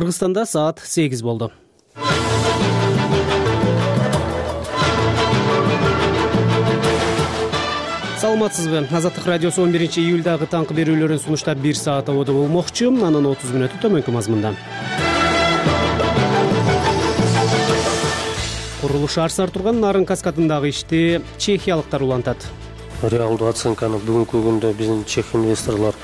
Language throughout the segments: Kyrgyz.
Кыргызстанда саат 8 болду. Саламатсызбы? Азаттык радиосу 11-июлдагы таңкы берүүлөрүн сунуштап 1 саат абода болмокчу. Анын 30 мүнөтү төмөнкү мазмунда. Курулуш арсар турган Нарын каскадындагы ишти чехиялыктар улантат. Реалдуу оценканы бүгүнкү күндө биздин чех инвесторлор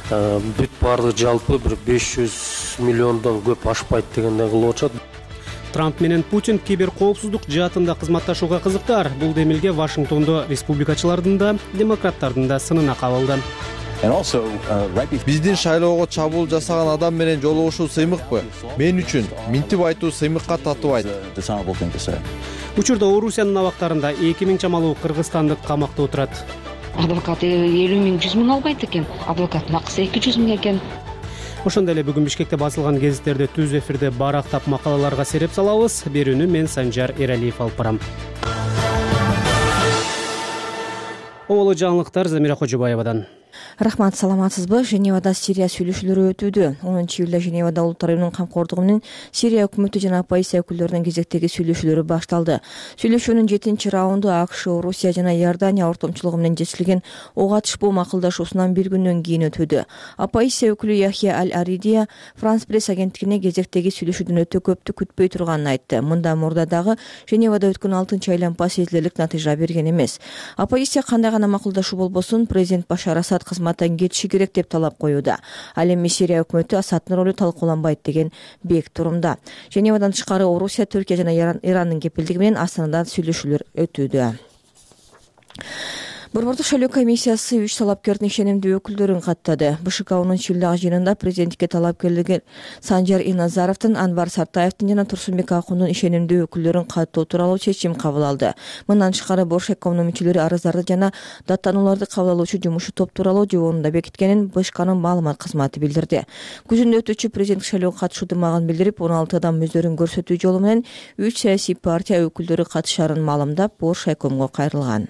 бүт баардыгы жалпы бир 500 миллиондон көп ашпайт дегендей кылып атышат. Трамп менен Путин киберкоопсуздук жаатында кызматташууга кызыктар. Бул демилге Вашингтондо республикачылардын да, демократтардын да сынына кабылды. Биздин шайлоого чабуул жасаган адам менен жолугушуу сыймыкпы? Мен үчүн минтип айтуу сыймыкка татыбайт. Учурда Орусиянын абактарында 2000 чамалуу кыргызстандык камакта отурат. Адвокаты 50 миң, 100 миң албайт экен. Адвокаттын акысы 200 миң экен. Ошондой эле бүгүн Бишкекте басылган гезиттерде түз эфирде барактап макалаларга сереп салабыз. Берүүнү мен Санжар Эралиев алып барам. Оболо жаңылыктар Замира Кожобаевадан. Рахмат, саламатсызбы? Женевада Сирия сүйлөшүүлөрү өтүүдө. 10-июлда Женевада Улуттар уюмунун камкордугу менен Сирия өкмөтү жана оппозиция өкүлдөрүнүн кезектеги сүйлөшүүлөрү башталды. Сүйлөшүүнүн 7-чи раунду АКШ, Орусия жана Иордания ортомчулугу менен жетишилген ок атышпоо макулдашуусунан бир күндөн кийин өтүүдө. Оппозиция өкүлү Яхья Аль-Аридия Франс пресс агенттигине кезектеги сүйлөшүүдөн өтө көптү күтпөй турганын айтты. Мындан мурда дагы Женевада өткөн 6-чы айлампа сезилерлик натыйжа берген эмес. Оппозиция кандай гана макулдашуу болбосун, президент Башар Асад кызматтан кетиши керек деп талап коюуда. Ал эми Сирия өкмөтү Асадтын ролу талкууланбайт деген бек турумда. Женевадан тышкары Орусия, Түркия жана Ирандын кепилдиги менен Астанада сүйлөшүүлөр өтүүдө. Борбордук шайлоо комиссиясы 3 талапкердин ишенимдүү өкүлдөрүн каттады. БШК 10-июлдагы жыйынында президенттикке талапкерлерге Санжар Иназаровдун, Анвар Сартаевдин жана Турсунбек Акундун ишенимдүү өкүлдөрүн каттоо тууралуу чечим кабыл алды. Мындан тышкары Боршекомдун мүчөлөрү арыздарды жана даттанууларды кабыл алуучу жумуш топ тууралуу жобонун да бекиткенин БШКнын маалымат кызматы билдирди. Күзүндө өтүүчү президенттик шайлоого катышуудумагын билдирип, 16 адам өздөрүн көрсөтүү жолу менен 3 саясий партия өкүлдөрү катышарын маалымдап, Боршекомго кайрылган.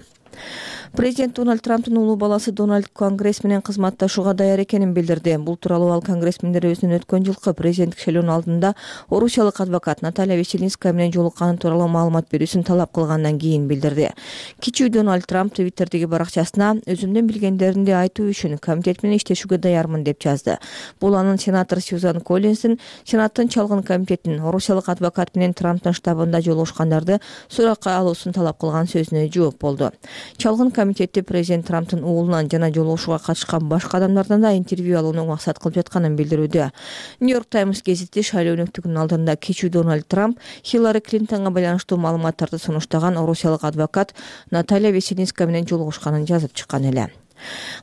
Президент Дональд Трамптын улуу баласы Дональд Конгресс менен кызматташууга даяр экенин билдирди. Бул тууралуу ал конгрессмендер өзүнүн өткөн жылкы президенттик шайлоонун алдында орусиялык адвокат Наталья Веселинская менен жолукканы тууралуу маалымат берүүсүн талап кылгандан кийин билдирди. Кичүү Дональд Трамп Твиттердеги баракчасына өзүмдөн билгендеримди айтуу үчүн комитет менен иштешүүгө даярмын деп жазды. Бул анын сенатор Сьюзан Коллинстин Сенаттын чалгын комитетинин орусиялык адвокат менен Трамптын штабында жолугушкандарды суракка алуусун талап кылган сөзүнө жооп болду. Чалгын комитетти президент Трамптын уулунан жана жолугушууга катышкан башка адамдардан да интервью алууну максат кылып жатканын билдирүүдө. Нью-Йорк Таймс гезити шайлоо өнөктүгүнүн алдында кичүү Дональд Трамп Хиллари Клинтонго байланыштуу маалыматтарды сунуштаган орусиялык адвокат Наталья Веселинская менен жолугушканын жазып чыккан эле.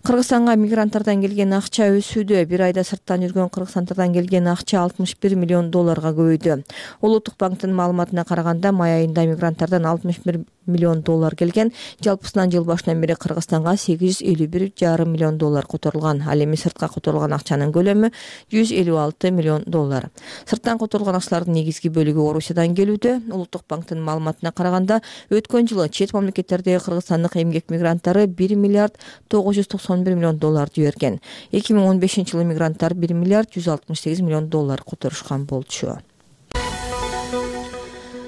Кыргызстанга мигранттардан келген акча өсүүдө. Бир айда сырттан жүргөн кыргызстандыктардан келген акча 61 миллион долларга көбөйдү. Улуттук банктын маалыматына караганда, май айында мигранттардан 61 миллион доллар келген. Жалпысынан жыл башынан бери Кыргызстанга 851,5 миллион доллар которулган. Ал эми сыртка которулган акчанын көлөмү 156 миллион доллар. Сырттан которулган акчалардын негизги бөлүгү Орусиядан келүүдө. Улуттук банктын маалыматына караганда, өткөн жылы чет мамлекеттердеги кыргызстандык эмгек мигранттары 1 миллиард 991 миллион доллар жиберген. 2015-жылы мигранттар 1 миллиард 168 миллион доллар которушкан болчу.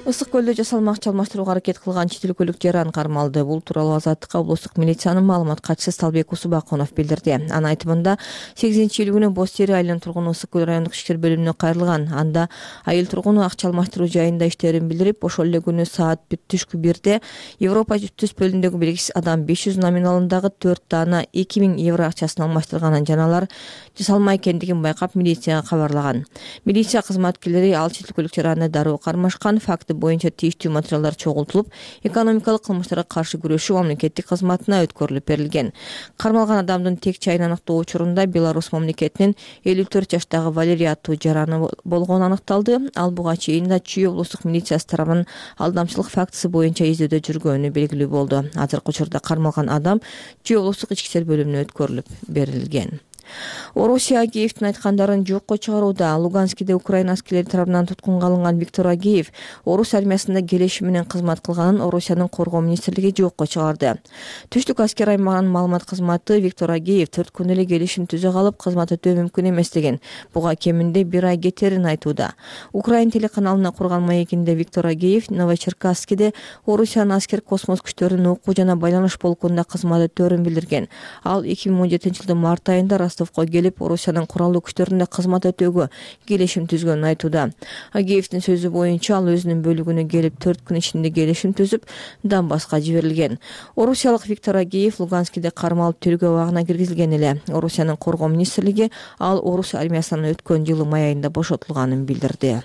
Ысык көлдө жасалмакчы алмаштырууга аракет кылган чет өлкөлүк жаран кармалды. Бул тууралуу Азаттыкка облустук милициянын маалымат катчысы Сталбек Усубакунов билдирди. Анын айтымында 8-июль күнү Боз Тери айылынын тургуну Ысык көл райондук ишкер бөлүмүнө кайрылган. Анда айыл тургуну акча алмаштыруу жайында иштерин билдирип, ошол эле күнү саат түшкү 1-де Европа түз бөлүмүндөгү белгисиз адам 500 номиналындагы 4 даана 2000 евро акчасын алмаштырганын жана алар жасалма экендигин байкап милицияга кабарлаган. Милиция кызматкерлери ал чет өлкөлүк жаранды дароо кармашкан. Факты боюнча тийиштүү материалдар чогултулуп, экономикалык кылмыштарга каршы күрөшүү мамлекеттик кызматына өткөрүлүп берилген. Кармалган адамдын тек чайын аныктоо учурунда Беларусь мамлекетинин 54 жаштагы Валерия аттуу жараны болгону аныкталды. Ал буга чейин да Чүй облустук милициясы тарабынан алдамчылык фактысы боюнча издөөдө жүргөнү белгилүү болду. Азыркы учурда кармалган адам Чүй облустук ички иштер бөлүмүнө өткөрүлүп берилген. Орусия Агеевдин айткандарын жокко чыгарууда. Луганскиде Украина аскерлери тарабынан туткунга алынган Виктор Агеев орус армиясында келешим менен кызмат кылганын Орусиянын коргоо министрлиги жокко чыгарды. Түштүк аскер аймагынын маалымат кызматы Виктор Агеев 4 күн эле келишим түзө калып кызмат өтөө мүмкүн эмес деген. Буга кеминде 1 ай кетерин айтууда. Украин телеканалына курган маегинде Виктор Агеев Новочеркасскиде Орусиянын аскер космос күчтөрүнүн окуу жана байланыш полкунда кызмат өтөөрүн билдирген. Ал 2017-жылдын март айында Ростовко келип, Орусиянын куралдуу күчтөрүндө кызмат өтөөгө келишим түзгөнүн айтууда. Агеевдин сөзү боюнча, ал өзүнүн бөлүгүнө келип 4 күн ичинде келишим түзүп, Донбасска жиберилген. Орусиялык Виктор Агеев Луганскиде кармалып тергөө абагына киргизилген эле. Орусиянын коргоо министрлиги ал орус армиясынан өткөн жылы май айында бошотулганын билдирди.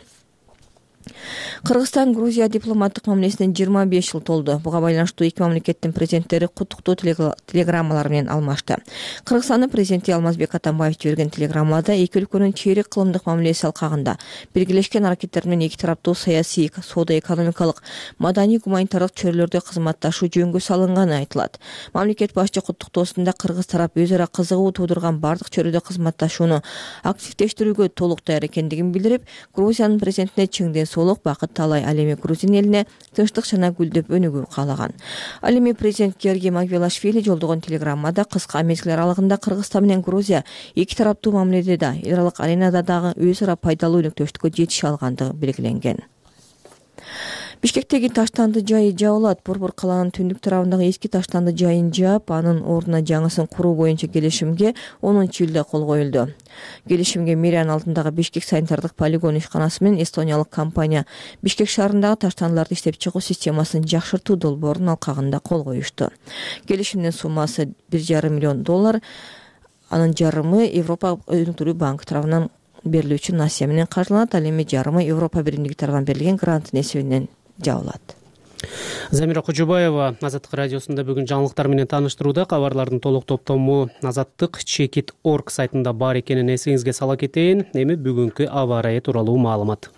Кыргызстан Грузия дипломаттык мамилесине 25 жыл толду. Буга байланыштуу эки мамлекеттин президенттери куттуктоо телеграммалар менен алмашты. Кыргызстандын президенти Алмазбек Атамбаев жиберген телеграммада эки өлкөнүн чейрек кылымдык мамилеси алкагында биргелешкен аракеттер менен эки тараптуу саясий, соода-экономикалык, маданий-гуманитардык чөйрөлөрдө кызматташуу жөнгө салынганы айтылат. Мамлекет башчы куттуктоосунда кыргыз тарап өз ара кызыгуу туудурган бардык чөйрөдө кызматташууну активдештирүүгө толук даяр экендигин билдирип, Грузиянын президентине чыңден солук бакыт талай, ал эми Грузин элине тынчтык жана гүлдөп өнүгүү каалаган. Ал эми президент Георгий Магвелашвили жолдогон телеграммада кыска мезгил аралыгында Кыргызстан менен Грузия эки тараптуу мамиледе да, эл аралык аренада дагы өз ара пайдалуу өнөктөштүккө жетише алгандыгы белгиленген. Бишкектеги таштанды жайы жабылат. Борбор каланын түндүк тарабындагы эски таштанды жайын жаап, анын ордуна жаңысын куруу боюнча келишимге 10-июлда кол коюлду. Келишимге мэриянын алдындагы Бишкек санитардык полигон ишканасы менен эстониялык компания Бишкек шаарындагы таштандыларды иштеп чыгуу системасын жакшыртуу долбоорунун алкагында кол коюшту. Келишимдин суммасы $1,5 миллион, анын жарымы Европа өнүктүрүү банкы тарабынан берилүүчү насия менен каржыланат, ал эми жарымы Европа биримдиги тарабынан берилген гранттын эсебинен жабылат. Замира Кожобаева Азаттык радиосунда бүгүн жаңылыктар менен тааныштырууда. Кабарлардын толук топтому Азаттык Chekit.org сайтында бар экенин эсиңизге сала кетейин. Эми бүгүнкү аба ырайы тууралуу маалымат.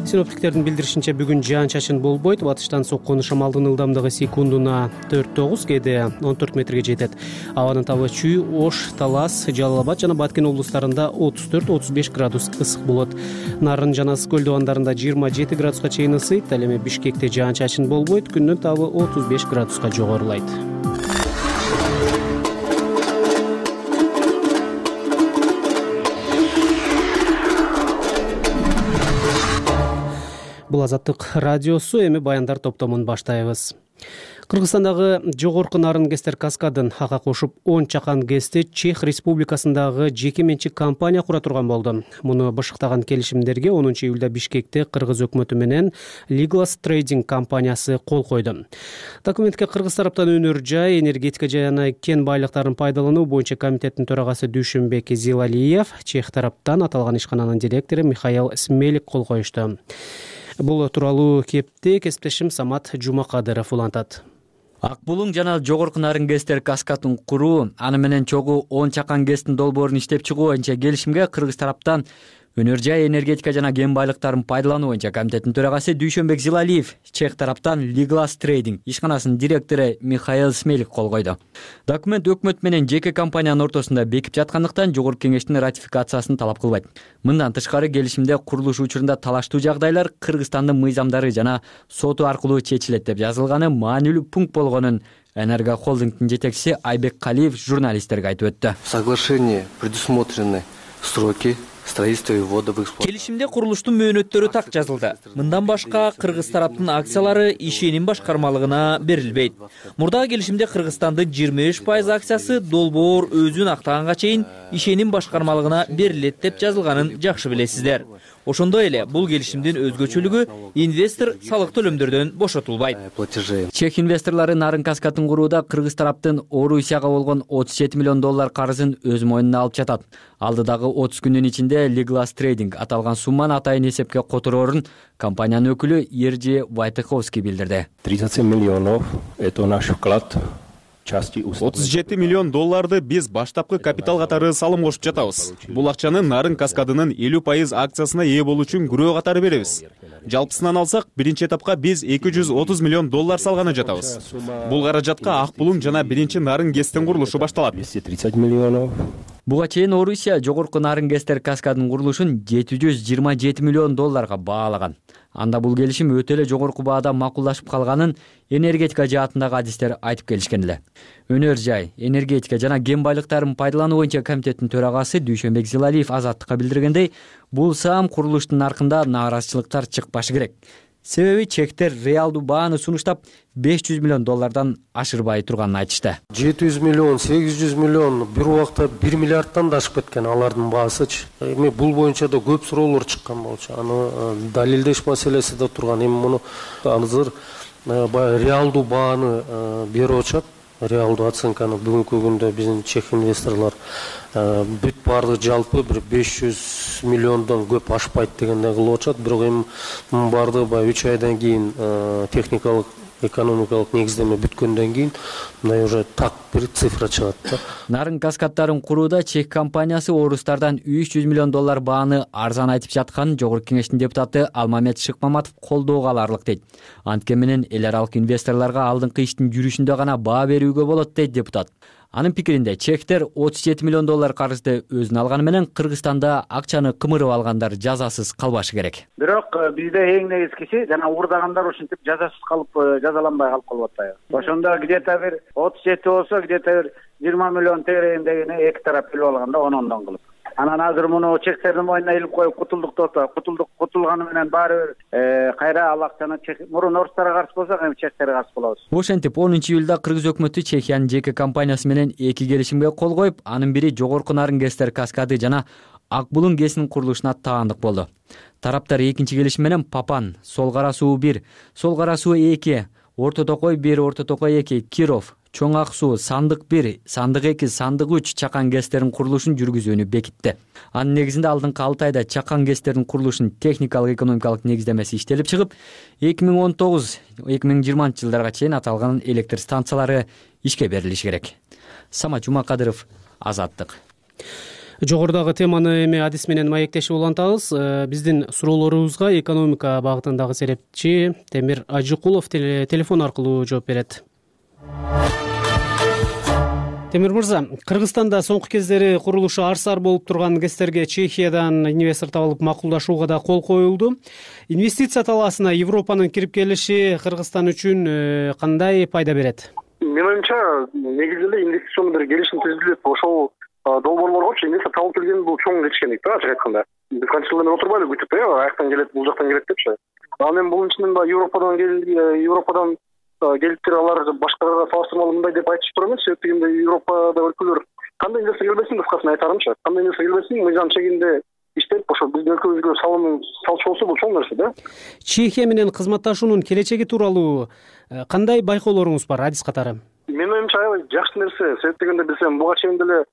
Синоптиктердин билдиришинче бүгүн жаан-чачын болбойт. Батыштан соккон шамалдын ылдамдыгы секундуна 4-9, кээде 14 метрге жетет. Абанын табы Чүй, Ош, Талас, Жалал Абад жана Баткен облустарында 34-35 градус ысык болот. Нарын жана Ысык көлдү 27 градуска чейин ысыйт. Ал эми Бишкекте жаан-чачын болбойт. Күндүн табы 35 градуска жогорулайт. Бул Азаттык радиосу, эми баяндар топтомун баштайбыз. Кыргызстандагы жогорку нарын кестер каскадын ага кошуп 10 чакан кести Чех Республикасындагы жеке менчик компания кура турган болду. Муну бышыктаган келишимдерге 10-июлда Бишкекте Кыргыз өкмөтү менен Liglas Trading компаниясы кол койду. Документке кыргыз тараптан өнөр жай, энергетика жана кен байлыктарын пайдалануу боюнча комитеттин төрагасы Дүйшөнбек Зилалиев, Чех тараптан аталган ишкананын директору Михаил Смелик кол коюшту. Бул тууралуу кепти кесиптешим Самат Жумакадыров улантат. Ак булуң жана жогорку нарын кестер каскатын куруу, аны менен чогуу 10 чакан кестин долбоорун иштеп чыгуу боюнча келишимге кыргыз тараптан өнөр жай, энергетика жана кен байлыктарын пайдалануу боюнча комитеттин төрагасы Дүйшөнбек Зилалиев, Чех тараптан Liglas Trading ишканасынын директору Михаил Смелик кол койду. Документ өкмөт менен жеке компаниянын ортосунда бекип жаткандыктан жогорку кеңештин ратификациясын талап кылбайт. Мындан тышкары келишимде курулуш учурунда талаштуу жагдайлар Кыргызстандын мыйзамдары жана соту аркылуу чечилет деп жазылганы маанилүү пункт болгонун Энерго холдингдин жетекчиси Айбек Калиев журналисттерге айтып өттү. В соглашении предусмотрены сроки строительства и ввода в эксплуатацию. Келишимде курулуштун мөөнөттөрү так жазылды. Мындан башка кыргыз тараптын акциялары ишеним башкармалыгына берилбейт. Мурдагы келишимде Кыргызстандын 23% акциясы долбоор өзүн актаганга чейин ишеним башкармалыгына берилет деп жазылганын жакшы билесиздер. Ошондой эле бул келишимдин өзгөчөлүгү инвестор салык төлөмдөрдөн бошотулбайт. Чех инвесторлору нарын каскатын курууда кыргыз тараптын Орусияга болгон $37 миллион карызын өз мойнуна алып жатат. Алдыдагы 30 күндүн ичинде Liglas Trading аталган сумманы атайын эсепке котороорун компаниянын өкүлү Ержи Вайтыховский билдирди. 37 миллионов это наш вклад $37 миллион биз баштапкы капитал катары салым кошуп жатабыз. Бул акчаны Нарын каскадынын 50% акциясына ээ болуу үчүн күрөө катары беребиз. Жалпысынан алсак, биринчи этапка биз $230 миллион салганы жатабыз. Бул каражатка Ак булуң жана биринчи Нарын ГЭСтин курулушу башталат. Буга чейин Орусия жогорку Нарын ГЭСтер каскадынын курулушун $727 миллион баалаган. Анда бул келишим өтө эле жогорку баада макулдашып калганын энергетика жаатындагы адистер айтып келишкен эле. Өнөр жай, энергетика жана кен байлыктарын пайдалануу боюнча комитеттин төрагасы Дүйшөнбек Зилалиев Азаттыкка билдиргендей, бул саам курулуштун наркында нааразычылыктар чыкпашы керек. Себеби чектер реалдуу бааны сунуштап $500 миллион ашырбай турганын айтышты. 700 миллион, 800 миллион бир убакта 1 миллиардтан да ашып кеткен алардын баасычы. Эми бул боюнча да көп суроолор чыккан болчу. Аны далилдеш маселеси да турган. Эми муну азыр реалдуу бааны берип атышат. Реалдуу оценканы бүгүнкү күндө биздин чех инвесторлор бүт баардыгы жалпы бир 500 миллиондон көп ашпайт дегенде кылып атышат. Бирок эми мунун баардыгы баягы 3 айдан кийин техникалык экономикалык негиздеме бүткөндөн кийин мындай уже так бир цифра чыгат да. Нарын каскаддарын курууда чех компаниясы орустардан $300 миллион бааны арзан айтып жатканын Жогорку кеңештин депутаты Алмамет Шыкмаматов колдоого аларлык дейт. Анткени менен эл аралык инвесторлорго алдыңкы иштин жүрүшүндө гана баа берүүгө болот дейт депутат. Анын пикиринде чехтер $37 миллион карызды өзүнө алганы менен Кыргызстанда акчаны кымырып алгандар жазасыз калбашы керек. Бирок бизде эң негизгиси жана уурдагандар ушинтип жазасыз калып жазаланбай калып калып атат. Ошондо где-то бир 37 болсо, где-то бир 20 миллион тегерегиндегини эки тарап билип алганда 10 кылып. Анан азыр муну чехтердин мойнуна илип коюп кутулдук болсо, кутулганы менен баары бир кайра ал акчаны мурун орустарга каршы болсок, эми чехтерге каршы болобуз. Ошентип 10-июлда Кыргыз өкмөтү Чехиянын жеке компаниясы менен эки келишимге кол коюп, анын бири жогорку Нарын ГЭСтер каскады жана Ак булуң ГЭСинин курулушуна таандык болду. Тараптар экинчи келишим менен Папан, Сол Кара суу 1, Сол Кара суу 2, Орто Токой 1, Орто Токой 2, Киров, Чоң Ак суу, Сандык 1, Сандык 2, Сандык 3 чакан ГЭСтерин курулушун жүргүзүүнү бекитти. Анын негизинде алдыңкы 6 айда чакан ГЭСтерин курулушунун техникалык экономикалык негиздемеси иштелип чыгып, 2019-2020 жылдарга чейин аталган электр станциялары ишке берилиши керек. Самат Жумакадыров, Азаттык. Жогорудагы теманы эми адис менен маектешип улантабыз. Биздин суроолорубузга экономика багытындагы серепчи Темир Ажыкулов телефон аркылуу жооп берет. Темир мырза, Кыргызстанда соңку кездери курулушу арсар болуп турган ГЭСтерге Чехиядан инвестор табылып макулдашууга да кол коюлду. Инвестиция талаасына Европанын кирип келиши Кыргызстан үчүн кандай пайда берет? Менин оюмча, негизинде инвестиционный бир келишим түзүлүп, ошол долбоорлоргочу инвестор табылып келген бул чоң жетишкендик да, ачык айтканда. Биз канча жылдан бери отурбайлы күтүп, аяктан келет, бул жактан келет депчи. Анан эми бул ичинен Европадан келиптир, алар башкаларга салыштырмалуу мындай деп айтышып тура эмес. Себеби дегенде Европада өлкөлөр кандай инвестор келбесин, кыскасын айтарымчы. Кандай инвестор келбесин, мыйзам чегинде иштеп, ошо биздин өлкөбүзгө салым салчу болсо бул чоң нерсе да. Чехия менен кызматташуунун келечеги тууралуу кандай байкоолоруңуз бар адис катары? Менин оюмча аябай жакшы нерсе. Себеби дегенде биз буга чейин деле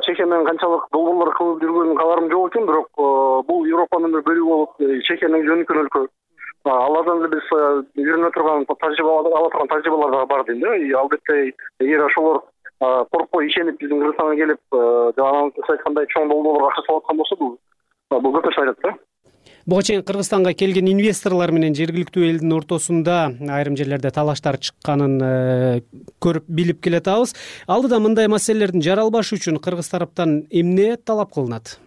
Чехия менен канчалык долбоорлор кылып жүргөнүн кабарым жок экен, бирок бул Европанын бир бөлүгү болуп, Чехиянын жөнөкөн өлкө. Алардан эле биз үйрөнө турган тажрыйбалар да бар дейм да. Албетте, эгер ошолор коркпой ишенип биздин Кыргызстанга келип, жана сиз айткандай чоң долбоорлорго акча салып аткан болсо, бул көп нерсе айтат да. Буга чейин Кыргызстанга келген инвесторлор менен жергиликтүү элдин ортосунда айрым жерлерде талаштар чыкканын көрүп билип келатабыз. Алдыда мындай маселелердин жаралбашы үчүн Кыргыз тараптан эмне талап кылынат?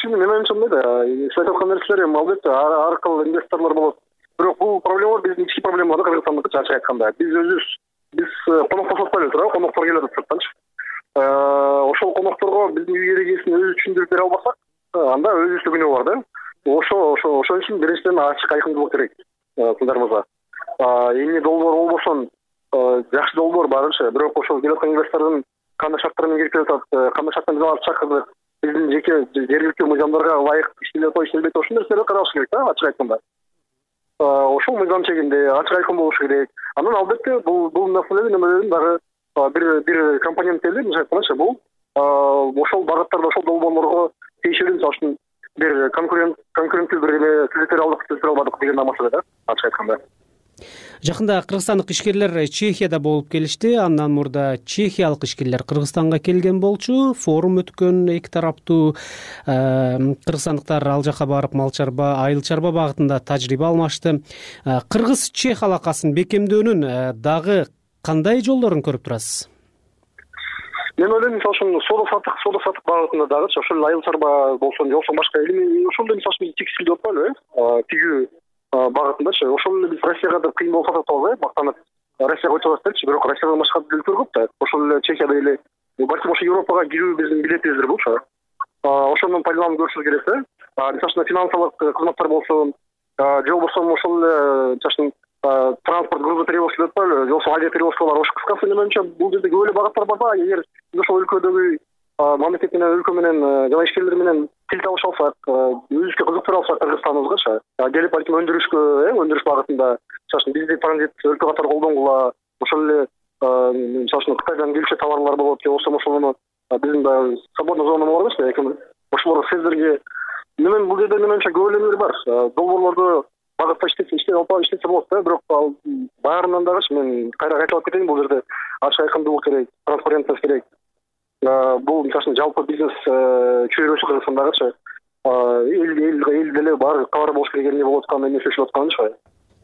Менин оюмча мындай да, сиз айтып аткан нерселер эми албетте ар кыл инвесторлор болот. Бирок бул проблема биздин ички проблема да, Кыргызстандыкы ачык айтканда. Биз конок тосотпайлы турабы, коноктор келип атат сырттанчы. Ошол конокторго биздин үй эрегесин өзү түшүндүрүп бере албасак, анда өзүбүздө күнөө бар да. Ошол үчүн биринчиден ачык айкындуулук керек кыздарыбызга. Эмне долбоор болбосун, жакшы долбоор барынча, бирок ошол келаткан инвестордун кандай шарттар менен кирип келатат, кандай шарттар менен алып чакырдык, биздин жеке жергиликтүү мыйзамдарга ылайык иштелет иштелбейт, ошол нерселерди караш керек да, ачык айтканда. Ошол мыйзам чегинде ачык айкын болушу керек. Анан албетте бул маселенин эмелерин дагы бир компонент эле, мисалы айтканда бул ошол багыттарда ошол долбоорлорго тиешелүү, мисалы үчүн бир конкуренттүү бир эле түзүтө албадык деген маселе да, ачык айтканда. Жакында кыргызстандык ишкерлер Чехияда болуп келишти. Андан мурда чехиялык ишкерлер Кыргызстанга келген болчу. Форум өткөн, эки тараптуу кыргызстандыктар ал жака барып мал чарба, айыл чарба багытында тажрыйба алмашты. Кыргыз-чех алакасын бекемдөөнүн дагы кандай жолдорун көрүп турасыз? Мен ойлойм, мисалы үчүн соода сатык багытында дагычы ошол айыл чарба болсун, жоксо башка ошондой мисалы үчүн текстиль деп атпайлыбы, тигүү багытындачы. Ошол эле биз Россияга да кыйын болуп атабыз, мактанып Россияга өтүп атат делчи, бирок Россиядан башка өлкөлөр көп да. Ошол эле Чехияда эле балким ошо Европага кирүү биздин билетибиздир булчу. Ошондон пайдаланып көрүшүбүз керек да. Мисалы үчүн финансылык кызматтар болсун, же болбосо ошол эле транспорт грузоперевозка деп атпайлыбы, же болбосо авиаперевозкалар. Ошо кыскасы менимче бул жерде көп эле багыттар бар да. Эгер биз ошол өлкөдөгү мамлекет менен, өлкө менен жана ишкерлер менен тил табыша алсак, өзүбүзгө кызыктыра алсак Кыргызстаныбызгачы, келип балким өндүрүш багытында, мисалы үчүн бизди транзит өлкө катары колдонгула, ошол эле мисалы үчүн Кытайдан келчү товарлар болот, же болбосо ошону биздин да свободный зона бар эмес, ошолор сиздерге менен бул жерде менимче көп эле нелер бар. Долбоорлорду багытта иштесе болот да, бирок ал баарынан дагычы мен кайра кайталап кетейин, бул жерде ачык айкындуулук керек, транспарентность керек. Бул мисалы үчүн жалпы бизнес чөйрөсү Кыргызстандагычы эл деле баары кабар болуш керек эмне болуп атканын, эмне чечилип атканынчы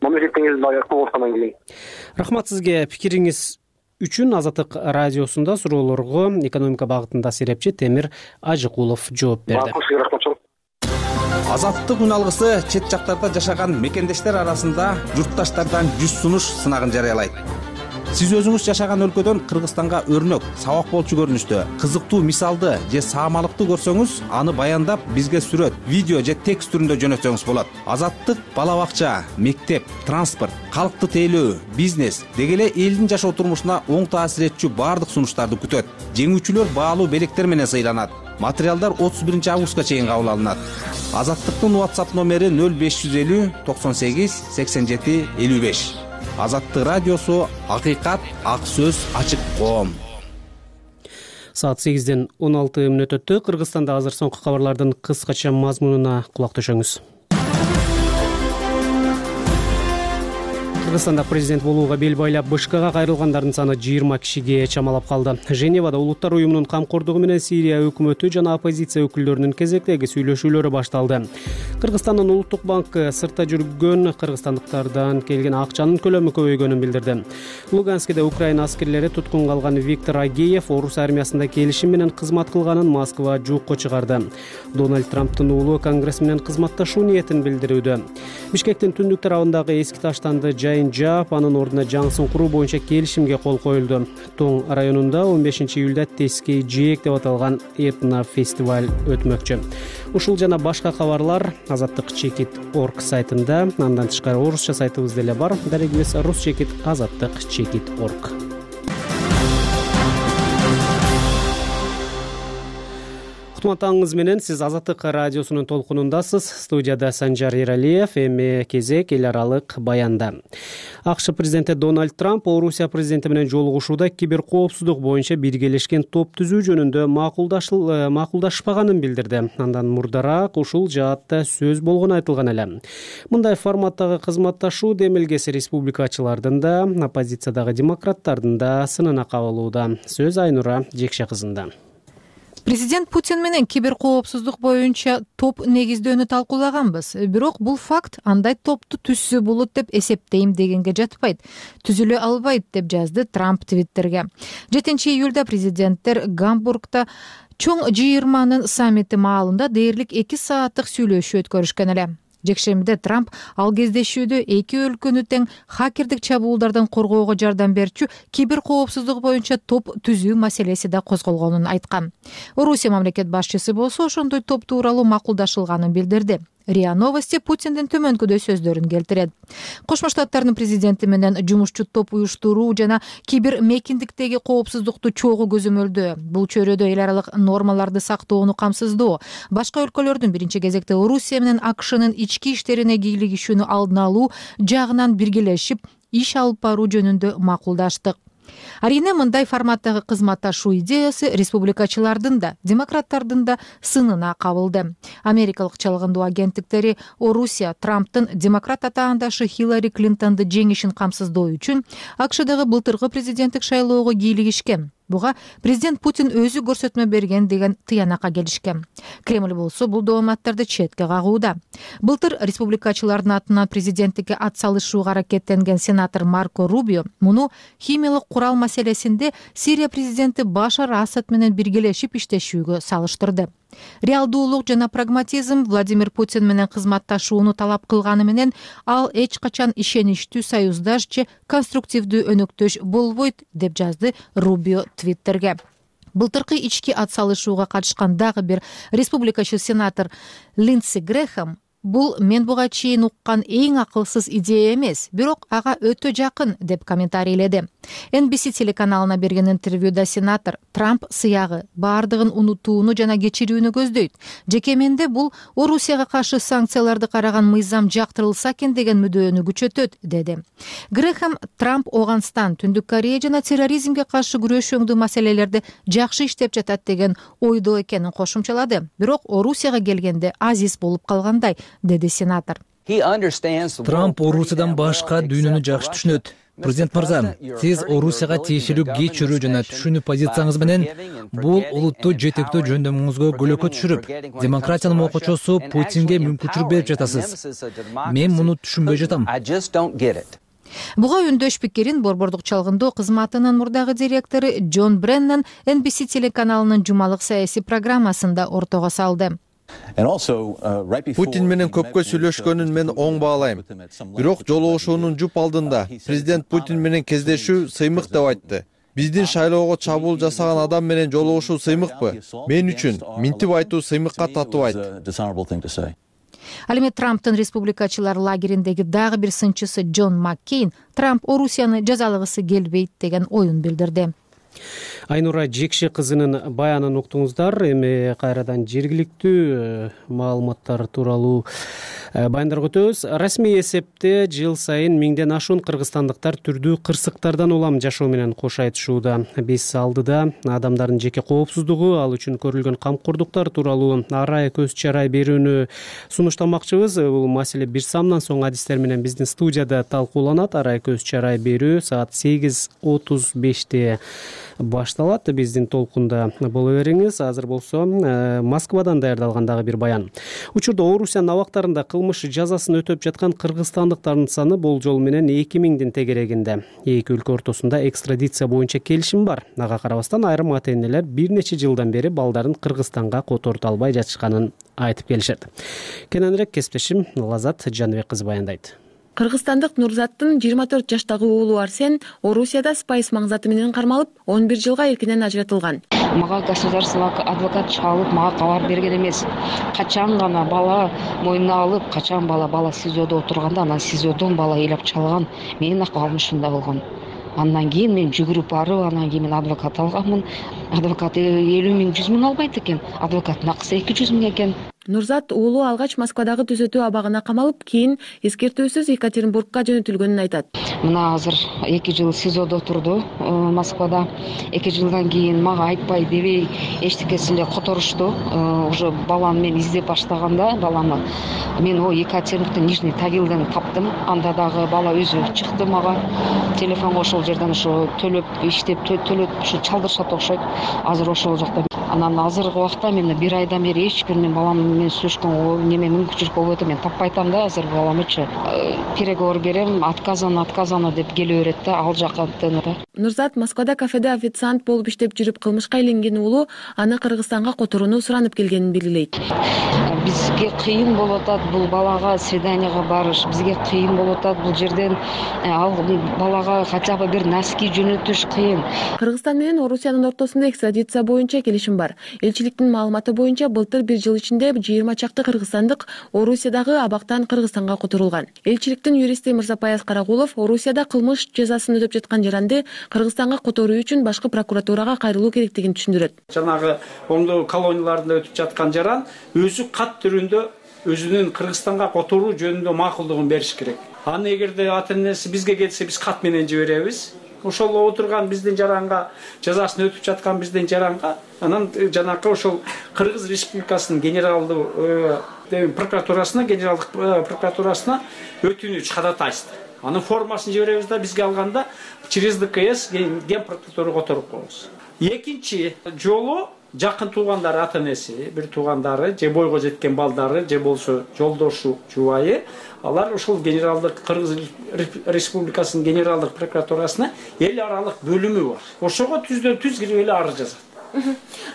мамлекеттин элинде аяктуу болуп аткандан кийин. Рахмат сизге пикириңиз үчүн. Азаттык радиосунда суроолорго экономика багытында серепчи Темир Ажыкулов жооп берди. Азаттык үн алгысы чет жактарда жашаган мекендештер арасында журтташтардан 100 сунуш сынагын жарыялайт. Сиз өзүңүз жашаган өлкөдөн Кыргызстанга өрнөк, сабак болчу көрүнүштө кызыктуу мисалды же саамалыкты көрсөңүз, аны баяндап бизге сүрөт, видео же текст түрүндө жөнөтсөңүз болот. Азаттык бала бакча, мектеп, транспорт, калкты тейлөө, бизнес деги эле элдин жашоо турмушуна оң таасир этчү баардык сунуштарды күтөт. Жеңүүчүлөр баалуу белектер менен сыйланат. Материалдар 31 августка чейин кабыл алынат. Азаттыктын WhatsApp номери 0550 98 87 55. Азаттык радиосу, акыйкат, ак сөз, ачык коом. Саат 8-ден 16 мүнөт өттү. Кыргызстанда азыр соңку кабарлардын кыскача мазмунуна кулак төшөңүз. Кыргызстанда президент болууга бел байлап БШКга кайрылгандардын саны 20 кишиге чамалап калды. Женевада Улуттар уюмунун камкордугу менен Сирия өкмөтү жана оппозиция өкүлдөрүнүн кезектеги сүйлөшүүлөрү башталды. Кыргызстандын Улуттук банкы сыртта жүргөн кыргызстандыктардан келген акчанын көлөмү көбөйгөнүн билдирди. Луганскиде Украина аскерлери туткун калган Виктор Агеев орус армиясында келишим менен кызмат кылганын Москва жуукка чыгарды. Дональд Трамптын уулу Конгресс менен кызматташуу ниетин билдирүүдө. Бишкектин түндүк тарабындагы эски таштанды жайын жаап, анын ордуна жаңысын куруу боюнча келишимге кол коюлду. Тоң районунда 15 июлда Тескей жээк деп аталган этно фестиваль өтмөкчү. Ушул жана башка кабарлар Азаттык.org сайтында, андан тышкары орусча сайтыбыз деле бар. Дарегибиз rus.azаттык.org. Кутман менен сиз Азаттык радиосунун толкунундасыз. Студияда Санжар Эралиев. Эми кезек эл аралык баянда. АКШ президенти Дональд Трамп Орусия президенти менен жолугушууда киберкоопсуздук боюнча биргелешкен топ түзүү жөнүндө макулдашпаганын билдирди. Андан мурдараак ушул жаатта сөз болгону айтылган эле. Мындай форматтагы кызматташуу демилгеси республикачылардын да, оппозициядагы демократтардын да сынына кабылууда. Сөз Айнура Жекше кызында. Президент Путин менен киберкоопсуздук боюнча топ негиздөөнү талкуулаганбыз. Бирок бул факт андай топту түзсө болот деп эсептейм дегенге жатпайт. Түзүлө албайт деп жазды Трамп Твиттерге. 7-июлда президенттер Гамбургда чоң G20 саммити маалында дээрлик 2 сааттык сүйлөшүү өткөрүшкөн эле. Жекшембиде Трамп ал кездешүүдө эки өлкөнү тең хакердик чабуулдардан коргоого жардам берчү киберкоопсуздук боюнча топ түзүү маселеси да козголгонун айткан. Орусия мамлекет башчысы болсо ошондой топ тууралуу макулдашылганын билдирди. РИА Новости Путиндин төмөнкүдөй сөздөрүн келтирет. Кошмо Штаттардын президенти менен жумушчу топ уюштуруу жана кибер мекиндиктеги коопсуздукту чогуу көзөмөлдөө. Бул чөйрөдө эл аралык нормаларды сактоону камсыздоо, башка өлкөлөрдүн биринчи кезекте Орусия менен АКШнын ички иштерине кийлигишүүнү алдын алуу жагынан биргелешип иш алып баруу жөнүндө макулдаштык. Арийне мындай форматтагы кызматташуу идеясы республикачылардын да, демократтардын да сынына кабылды. Америкалык чалгындоо агенттиктери Орусия Трамптын демократ атаандашы Хиллари Клинтонду жеңишин камсыздоо үчүн АКШдагы былтыркы президенттик шайлоого кийлигишкен. Буга президент Путин өзү көрсөтмө берген деген тыянакка келишкен. Кремль болсо бул дооматтарды четке кагууда. Былтыр республикачылардын атынан президенттикке ат салышууга аракеттенген сенатор Марко Рубио муну химиялык курал маселесинде Сирия президенти Башар Асад менен биргелешип иштешүүгө салыштырды. Реалдуулук жана прагматизм Владимир Путин менен кызматташууну талап кылганы менен ал эч качан ишеничтүү союздаш же конструктивдүү өнөктөш болбойт, деп жазды Рубио Твиттерге. Былтыркы ички ат салышууга катышкан дагы бир республикачы сенатор Линдси Грэхэм бул мен буга чейин уккан эң акылсыз идея эмес, бирок ага өтө жакын, деп комментарийледи. NBC телеканалына берген интервьюда сенатор Трамп сыягы баардыгын унутууну жана кечирүүнү көздөйт. Жеке менде бул Орусияга каршы санкцияларды караган мыйзам жактырылса экен деген мүддөөнү күчөтөт, деди. Грэхэм Трамп Оганстан, Түндүк Корея жана терроризмге каршы күрөшүүңдүү маселелерди жакшы иштеп жатат деген ойдо экенин кошумчалады. Бирок Орусияга келгенде азиз болуп калгандай, деди сенатор. Трамп Орусиядан башка дүйнөнү жакшы түшүнөт. Президент мырза, сиз Орусияга тиешелүү кечирүү жана түшүнүү позицияңыз менен бул улутту жетектөө жөндөмүңүзгө көлөкө түшүрүп, демократиянын окуучусу Путинге мүмкүнчүлүк берип жатасыз. Мен муну түшүнбөй жатам. Буга үндөш пикирин Борбордук чалгындоо кызматынын мурдагы директору Джон Бреннан NBC телеканалынын жумалык саясий программасында ортого салды. Путин менен көпкө сүйлөшкөнүн мен оң баалайм. Бирок жолугушуунун жуп алдында президент Путин менен кездешүү сыймык деп айтты. Биздин шайлоого чабуул жасаган адам менен жолугушуу сыймыкпы? Мен үчүн минтип айтуу сыймыкка татыбайт. Ал эми Трамптын республикачылар лагериндеги дагы бир сынчысы Джон Маккейн Трамп Орусияны жазалагысы келбейт деген оюн билдирди. Айнура Жекши кызынын баянын уктуңуздар. Эми кайрадан жергиликтүү маалыматтар тууралуу баяндарга өтөбүз. Расмий эсепте жыл сайын 1000ден ашуун кыргызстандыктар түрдүү кырсыктардан улам жашоо менен кош айтышууда. Биз алдыда адамдардын жеке коопсуздугу, ал үчүн көрүлгөн камкордуктар тууралуу арай көз чарай берүүнү сунуштамакчыбыз. Бул маселе бир самдан соң адистер менен биздин студияда талкууланат. Арай көз чарай берүү саат 8:35 башталат. Биздин толкунда боло бериңиз. Азыр болсо Москвадан даярдалган дагы бир баян. Учурда Орусиянын абактарында кылмыш жазасын өтөп жаткан кыргызстандыктардын саны болжол менен 2000дин тегерегинде. Эки өлкө ортосунда экстрадиция боюнча келишим бар. Ага карабастан айрым ата-энелер бир нече жылдан бери балдарын Кыргызстанга которута албай жатышканын айтып келишет. Кененирээк кесиптешим Лазат Жаныбек кызы баяндайт. Кыргызстандык Нурзаттын 24 жаштагы уулу Арсен Орусияда спайс маңзаты менен кармалып, 11 жылга эркинен ажыратылган. Мага государственный адвокат чалып, мага кабар берген эмес. Качан гана бала мойнуна алып, качан бала СИЗОдо отурганда, анан СИЗОдон бала ыйлап чалган. Менин акыбалым ушундай болгон. Андан кийин мен жүгүрүп барып, анан кийин мен адвокат алганмын. Адвокат 50 миң, 100 миң албайт экен. Адвокаттын акысы 200 миң экен. Нурзат уулу алгач Москвадагы түзөтүү абагына камалып, кийин эскертүүсүз Екатеринбургка жөнөтүлгөнүн айтат. Мына азыр 2 жыл СИЗОдо турду Москвада. 2 жылдан кийин мага айтпай дебей эчтекесин эле которушту. Уже баланы мен издеп баштаганда баламы мен Екатеринбургдун Нижний Тагилден таптым. Анда дагы бала өзү чыкты мага. Телефонго ошол жерден ошо төлөп иштеп төлөп ушу чалдырышат окшойт. Азыр ошол жакта. Анан азыркы убакта мен бир айдан бери эч бир мен балам менен сүйлөшкөнгө неме мүмкүнчүлүк болбой атат. Мен таппай атам да азыр баламычы. Переговор берем, отказано деп келе берет да, ал жака да. Нурзат Москвада кафеде официант болуп иштеп жүрүп кылмышка илинген уулу аны Кыргызстанга которууну суранып келгенин белгилейт. Бизге кыйын болуп атат бул балага свиданияга барыш. Бизге кыйын болуп атат бул жерден ал балага хотя бы бир носки жөнөтүш кыйын. Кыргызстан менен Орусиянын ортосунда экстрадиция боюнча келишим бар. Элчиликтин маалыматы боюнча былтыр бир жыл ичинде 20 чакты кыргызстандык Орусиядагы абактан Кыргызстанга которулган. Элчиликтин юристи Мырзапаяз Карагулов Орусияда кылмыш жазасын өтөп жаткан жаранды Кыргызстанга которуу үчүн башкы прокуратурага кайрылуу керектигин түшүндүрөт. Жанагы оңдоо колонияларында өтүп жаткан жаран өзү кат түрүндө өзүнүн Кыргызстанга которуу жөнүндө макулдугун бериш керек. Аны эгерде ата-энеси бизге келсе биз кат менен жиберебиз. ошол отурган биздин жаранга, жазасын өтүп жаткан биздин жаранга анан жанакы ошол Кыргыз Республикасынын генералдык прокуратурасына, генералдык прокуратурасына өтүнүч ходатайство. Анын формасын жиберебиз да бизге алганда через ДКС ген прокуратурага которуп коебуз. Экинчи жолу жакын туугандары, ата энеси, бир туугандары, же бойго жеткен балдары, же болсо жолдошу, жубайы, алар ошол генералдык Кыргыз Республикасынын генералдык прокуратурасына эл аралык бөлүмү бар. Ошого түздөн түз кирип эле арыз жазат.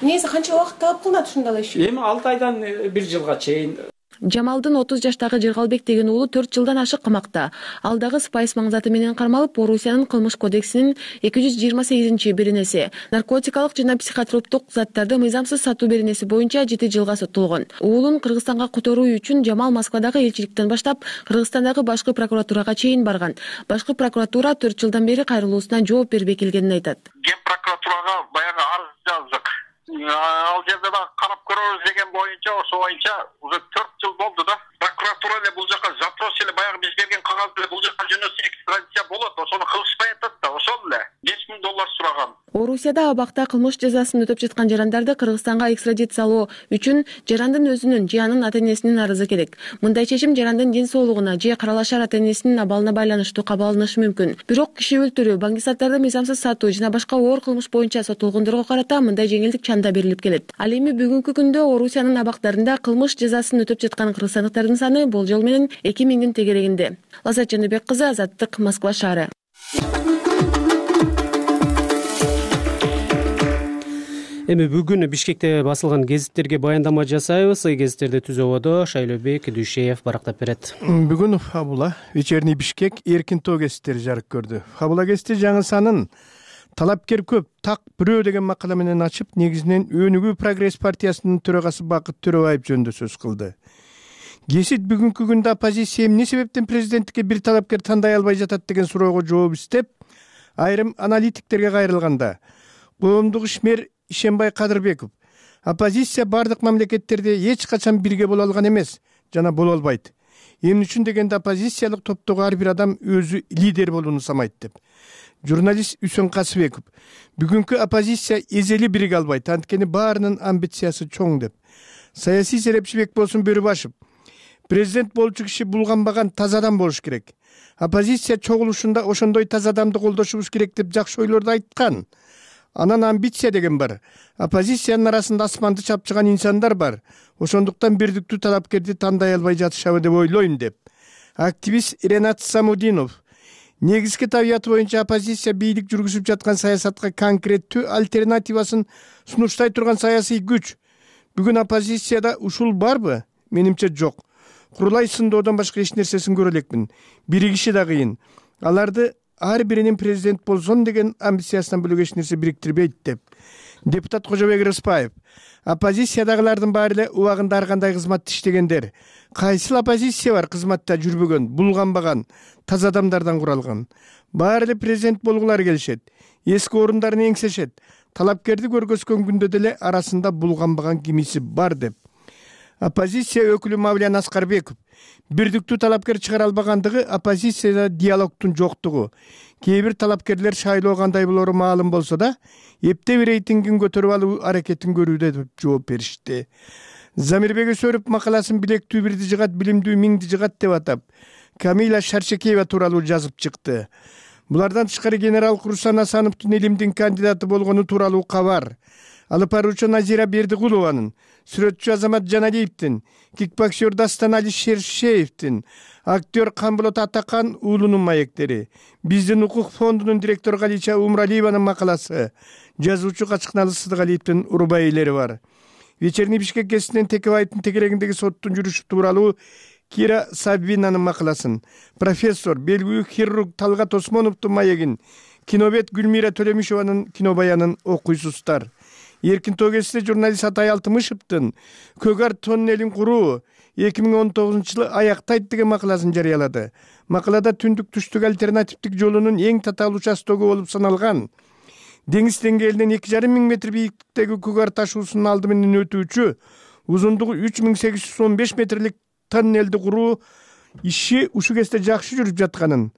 Негизи канча убакыт талап кылынат ушундай иш? Эми 6 айдан 1 жылга чейин. Жамалдын 30 жаштагы Жыргалбек деген уулу 4 жылдан ашык камакта. Ал дагы спайс маңзаты менен кармалып, Орусиянын кылмыш кодексинин 228-беренеси наркотикалык жана психотроптук заттарды мыйзамсыз сатуу беренеси боюнча 7 жылга соттолгон. Уулун Кыргызстанга которуу үчүн Жамал Москвадагы элчиликтен баштап Кыргызстандагы башкы прокуратурага чейин барган. Башкы прокуратура 4 жылдан бери кайрылуусуна жооп бербей келгенин айтат. Ген прокуратурага баягы арыз жаздык. Ал жерде да карап көрөбүз деген боюнча, ошо боюнча уже 4 жыл болду да. Прокуратура эле бул жака запрос эле баягы биз берген кагаз эле бул жака жөнөтсө экстрадиция болот. Ошону кылышпай атат да, ошол эле $5000 сураган. Орусияда абакта кылмыш жазасын өтөп жаткан жарандарды Кыргызстанга экстрадициялоо үчүн жарандын өзүнүн же анын ата энесинин арызы керек. Мындай чечим жарандын ден соолугуна же каралашар ата энесинин абалына байланыштуу кабыл алынышы мүмкүн. Бирок киши өлтүрүү, баңгисаттарды мыйзамсыз сатуу жана башка оор кылмыш боюнча соттолгондорго карата мындай жеңилдик чанда берилип келет. Ал эми бүгүнкү күндө Орусиянын абактарында кылмыш жазасын өтөп жаткан кыргызстандыктардын саны болжол менен 2000-дин тегерегинде. Лаззат Жаныбек кызы, Азаттык, Москва шаары. Эми бүгүн Бишкекте басылган гезиттерге баяндама жасайбыз. Гезиттерди Түзөбодо Шайлообек Дүйшеев барактап берет. Бүгүн Фабула Вечерний Бишкек эркин тоо гезиттери жарык көрдү. Фабула гезити жаңы санын талапкер көп, так бирөө деген макала менен ачып, негизинен Өнүгүү Прогресс партиясынын төрагасы Бакыт Төрөбаев жөнүндө сөз кылды. Гезит бүгүнкү күндө оппозиция эмне себептен президенттикке бир талапкер тандай албай жатат деген суроого жооп издеп, айрым аналитиктерге кайрылганда, коомдук ишмер Ишенбай Кадырбеков оппозиция бардык мамлекеттерде эч качан бирге боло алган эмес жана боло албайт. Эмне үчүн дегенде оппозициялык топтогу ар бир адам өзү лидер болууну самайт деп. Журналист Үсөн Касыбеков бүгүнкү оппозиция эзели бириге албайт, анткени баарынын амбициясы чоң деп. Саясий серепчи Бекболсун Бөрүбашев президент болчу киши булганбаган таза адам болуш керек. Оппозиция чогулушунда ошондой таза адамды колдошубуз керек деп жакшы ойлорду айткан. Анан амбиция деген бар. Оппозициянын арасында асманды чапчыган инсандар бар. Ошондуктан бирдиктүү талапкерди тандай албай жатышабы деп ойлойм деп. Активист Ренат Самудинов негизги табияты боюнча оппозиция бийлик жүргүзүп жаткан саясатка конкреттүү альтернативасын сунуштай турган саясий күч. Бүгүн оппозицияда ушул барбы? Менимче жок. Курулай сындоодон башка эч нерсесин көрө элекмин. Биригиши да кыйын. Аларды ар биринин президент болсом деген амбициясынан бөлөк эч нерсе бириктирбейт деп. Депутат Кожобек Рыспаев оппозициядагылардын баары эле убагында ар кандай кызматты иштегендер. Кайсыл оппозиция бар кызматта жүрбөгөн, булганбаган, таза адамдардан куралган. Баары эле президент болгулары келишет. Эски орундарын эңсешет. Талапкерди көргөзгөн күндө деле арасында булганбаган кимиси бар деп. Оппозиция өкүлү Мавлян Аскарбеков бирдиктүү талапкер чыгара албагандыгы оппозицияда диалогтун жоктугу. Кээ бир талапкерлер шайлоо кандай болору маалым болсо да, эптеп рейтингин көтөрүп алуу аракетин көрүүдө деп жооп беришти. Замирбек Өсөрүп макаласын билектүү бирди жыгат, билимдүү миңди жыгат деп атап, Камила Шаршекеева тууралуу жазып чыкты. Булардан тышкары генерал Курсан Асановдун илимдин кандидаты болгону тууралуу кабар. Алып баруучу Назира Бердигулованын, сүрөтчү Азамат Жаналиевдин, кикбоксер Дастан Алишершеевдин, актер Камболот Атакан уулунун маектери, биздин укук фондунун директору Галича Умралиеванын макаласы, жазуучу Качкыналы Сыдыгалиевдин урбай элери бар. Вечерний Бишкек гезитинен Текебаевдин тегерегиндеги соттун жүрүшү тууралуу Кира Сабинанын макаласын, профессор, белгилүү хирург Талгат Осмоновдун маегин, кинобет Гүлмира Төлөмишованын кинобаянын окуйсуздар. Эркин тоо гезитинде журналист Атай Алтымышевдин Көгар тоннелин куруу 2019-жылы аяктайт деген макаласын жарыялады. Макалада түндүк түштүк альтернативдик жолунун эң татаал участогу болуп саналган деңиз деңгээлинен 2,5 миң метр бийиктиктеги Көгар ташуусунун алды менен өтүүчү узундугу 3815 метрлик тоннелди куруу иши ушу кезде жакшы жүрүп жатканын,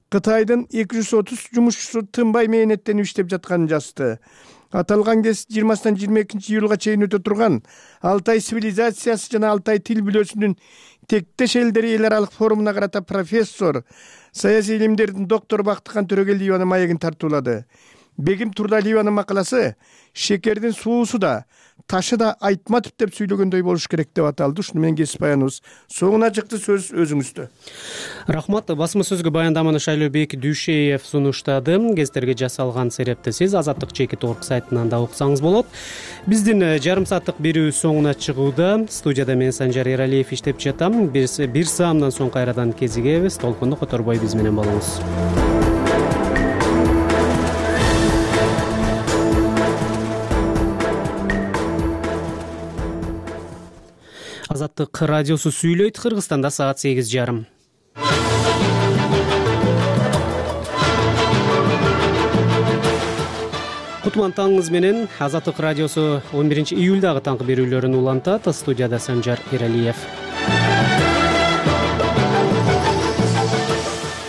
Кытайдын 230 жумушчусу тынбай мээнеттенип иштеп жатканын жазды. Аталган кез 20-22 июлга чейин өтө турган Алтай цивилизациясы жана Алтай тил бүлөсүнүн тектеш элдер эл аралык форумуна карата профессор, саясий илимдердин доктору Бактыкан Төрөгелиеванын маегин тартуулады. Бегим Турдалиеванын макаласы шекердин суусу да, ташы да айтматып деп сүйлөгөндөй болуш керек деп аталды. Ушуну менен кесип баяныбыз соңуна чыкты, сөз өзүңүздө. Рахмат. Басма сөзгө баяндаманы Шайлообек Дүйшеев сунуштады. Гезитерге жасалган серепти сиз Азаттык Чекит.org сайтынан да уксаңыз болот. Биздин жарым сааттык берүү соңуна чыгууда. Студияда мен Санжар Эралиев иштеп жатам. Бир саамдан соң кайрадан кезигебиз. Толкунду которбой биз менен болуңуз. Азаттык радиосу сүйлөйт. Кыргызстанда саат 8:30. Кутман таңыңыз менен. Азаттык радиосу 11 июлдагы таңкы берүүлөрүн улантат. Студияда Санжар Эралиев.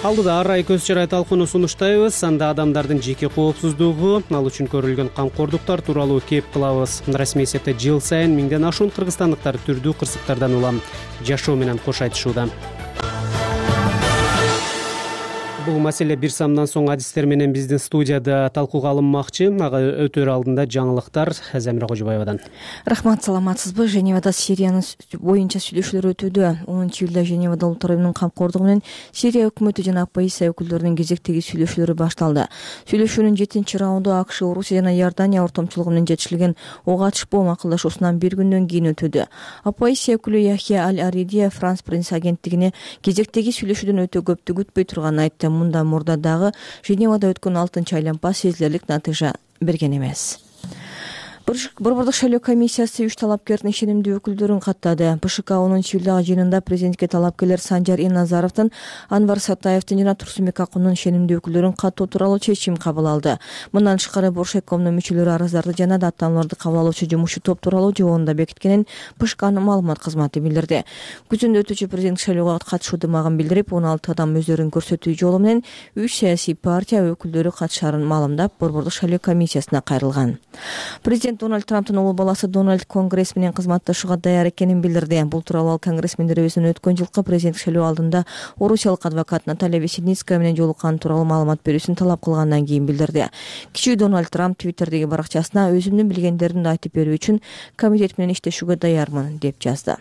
Алдыда арай көз чарай талкууну сунуштайбыз. Анда адамдардын жеке коопсуздугу, ал үчүн көрүлгөн камкордуктар тууралуу кеп кылабыз. Расмий эсепте жыл сайын миңден ашуун кыргызстандыктар түрдүү кырсыктардан улам жашоо менен кош айтышууда. Бул маселе бир саамдан соң адистер менен биздин студияда талкууга алынмакчы. Ага өтөр алдында жаңылыктар Замира Кожобаевадан. Рахмат, саламатсызбы? Женевада Сириянын боюнча сүйлөшүүлөр өтүүдө. 10 июлда Женевада улуттар уюмунун камкордугу менен Сирия өкмөтү жана оппозиция өкүлдөрүнүн кезектеги сүйлөшүүлөрү башталды. Сүйлөшүүнүн 7-чи раунду АКШ, Орусия жана Иордания ортомчулугу менен жетишилген ок атышпоо макулдашуусунан бир күндөн кийин өтүүдө. Оппозиция өкүлү Яхья Аль-Аридия Франс пресс агенттигине кезектеги сүйлөшүүдөн өтө көптү күтпөй турганын айтты. Мында мурда дагы Женевада өткөн 6-чы айланма сезилерлик натыйжа берген эмес. Борбордук шайлоо комиссиясы 3 талапкердин ишенимдүү өкүлдөрүн каттады. БШК 10 июлдагы жыйынында президентке талапкерлер Санжар Иназаровдун, Анвар Сартаевдин жана Турсунбек Акундун ишенимдүү өкүлдөрүн каттоо тууралуу чечим кабыл алды. Мындан тышкары Боршекомдун мүчөлөрү арыздарды жана даттанууларды кабыл алуучу жумушчу топ тууралуу жобонду бекиткенин БШКнын маалымат кызматы билдирди. Күзүндө өтүүчү президенттик шайлоого катышуудумагын билдирип, 16 адам өздөрүн көрсөтүү жолу менен 3 саясий партия өкүлдөрү катышарын маалымдап, Борбордук шайлоо комиссиясына кайрылган. Президент Дональд Трамптын улуу баласы Дональд Конгресс менен кызматташууга даяр экенин билдирди. Бул тууралуу ал конгрессмендер өзүнүн өткөн жылкы президенттик шайлоо алдында орусиялык адвокат Наталья Весеницкая менен жолукканы тууралуу маалымат берүүсүн талап кылгандан кийин билдирди. Кичүү Дональд Трамп Твиттердеги баракчасына өзүмдүн билгендеримди айтып берүү үчүн комитет менен иштешүүгө даярмын деп жазды.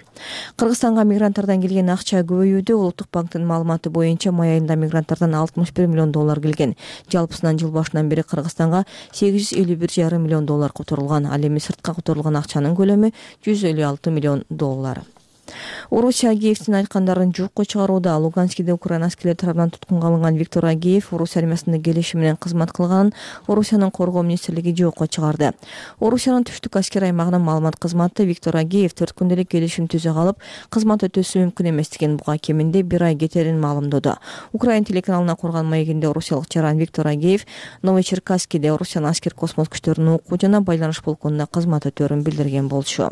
Кыргызстанга мигранттардан келген акча көбөйүүдө. Улуттук банктын маалыматы боюнча май айында мигранттардан $61 миллион келген. Жалпысынан жыл башынан бери Кыргызстанга $851,5 миллион которулган. Ал эми сыртка которулган акчанын көлөмү $156 миллион. Орусия Агеевдин айткандарын жокко чыгарууда. Луганскиде Украина аскерлери тарабынан туткунга алынган Виктор Агеев Орусия армиясында келишим менен кызмат кылганын Орусиянын коргоо министрлиги жокко чыгарды. Орусиянын түштүк аскер аймагынын маалымат кызматы Виктор Агеев 4 күндөлүк келишим түзө калып, кызмат өтөсү мүмкүн эместигин, буга кеминде 1 ай кетерин маалымдоду. Украин телеканалына курган маегинде орусиялык жаран Виктор Агеев Новочеркасскиде Орусиянын аскер космос күчтөрүнүн окуу жана байланыш полкунда кызмат өтөөрүн билдирген болчу.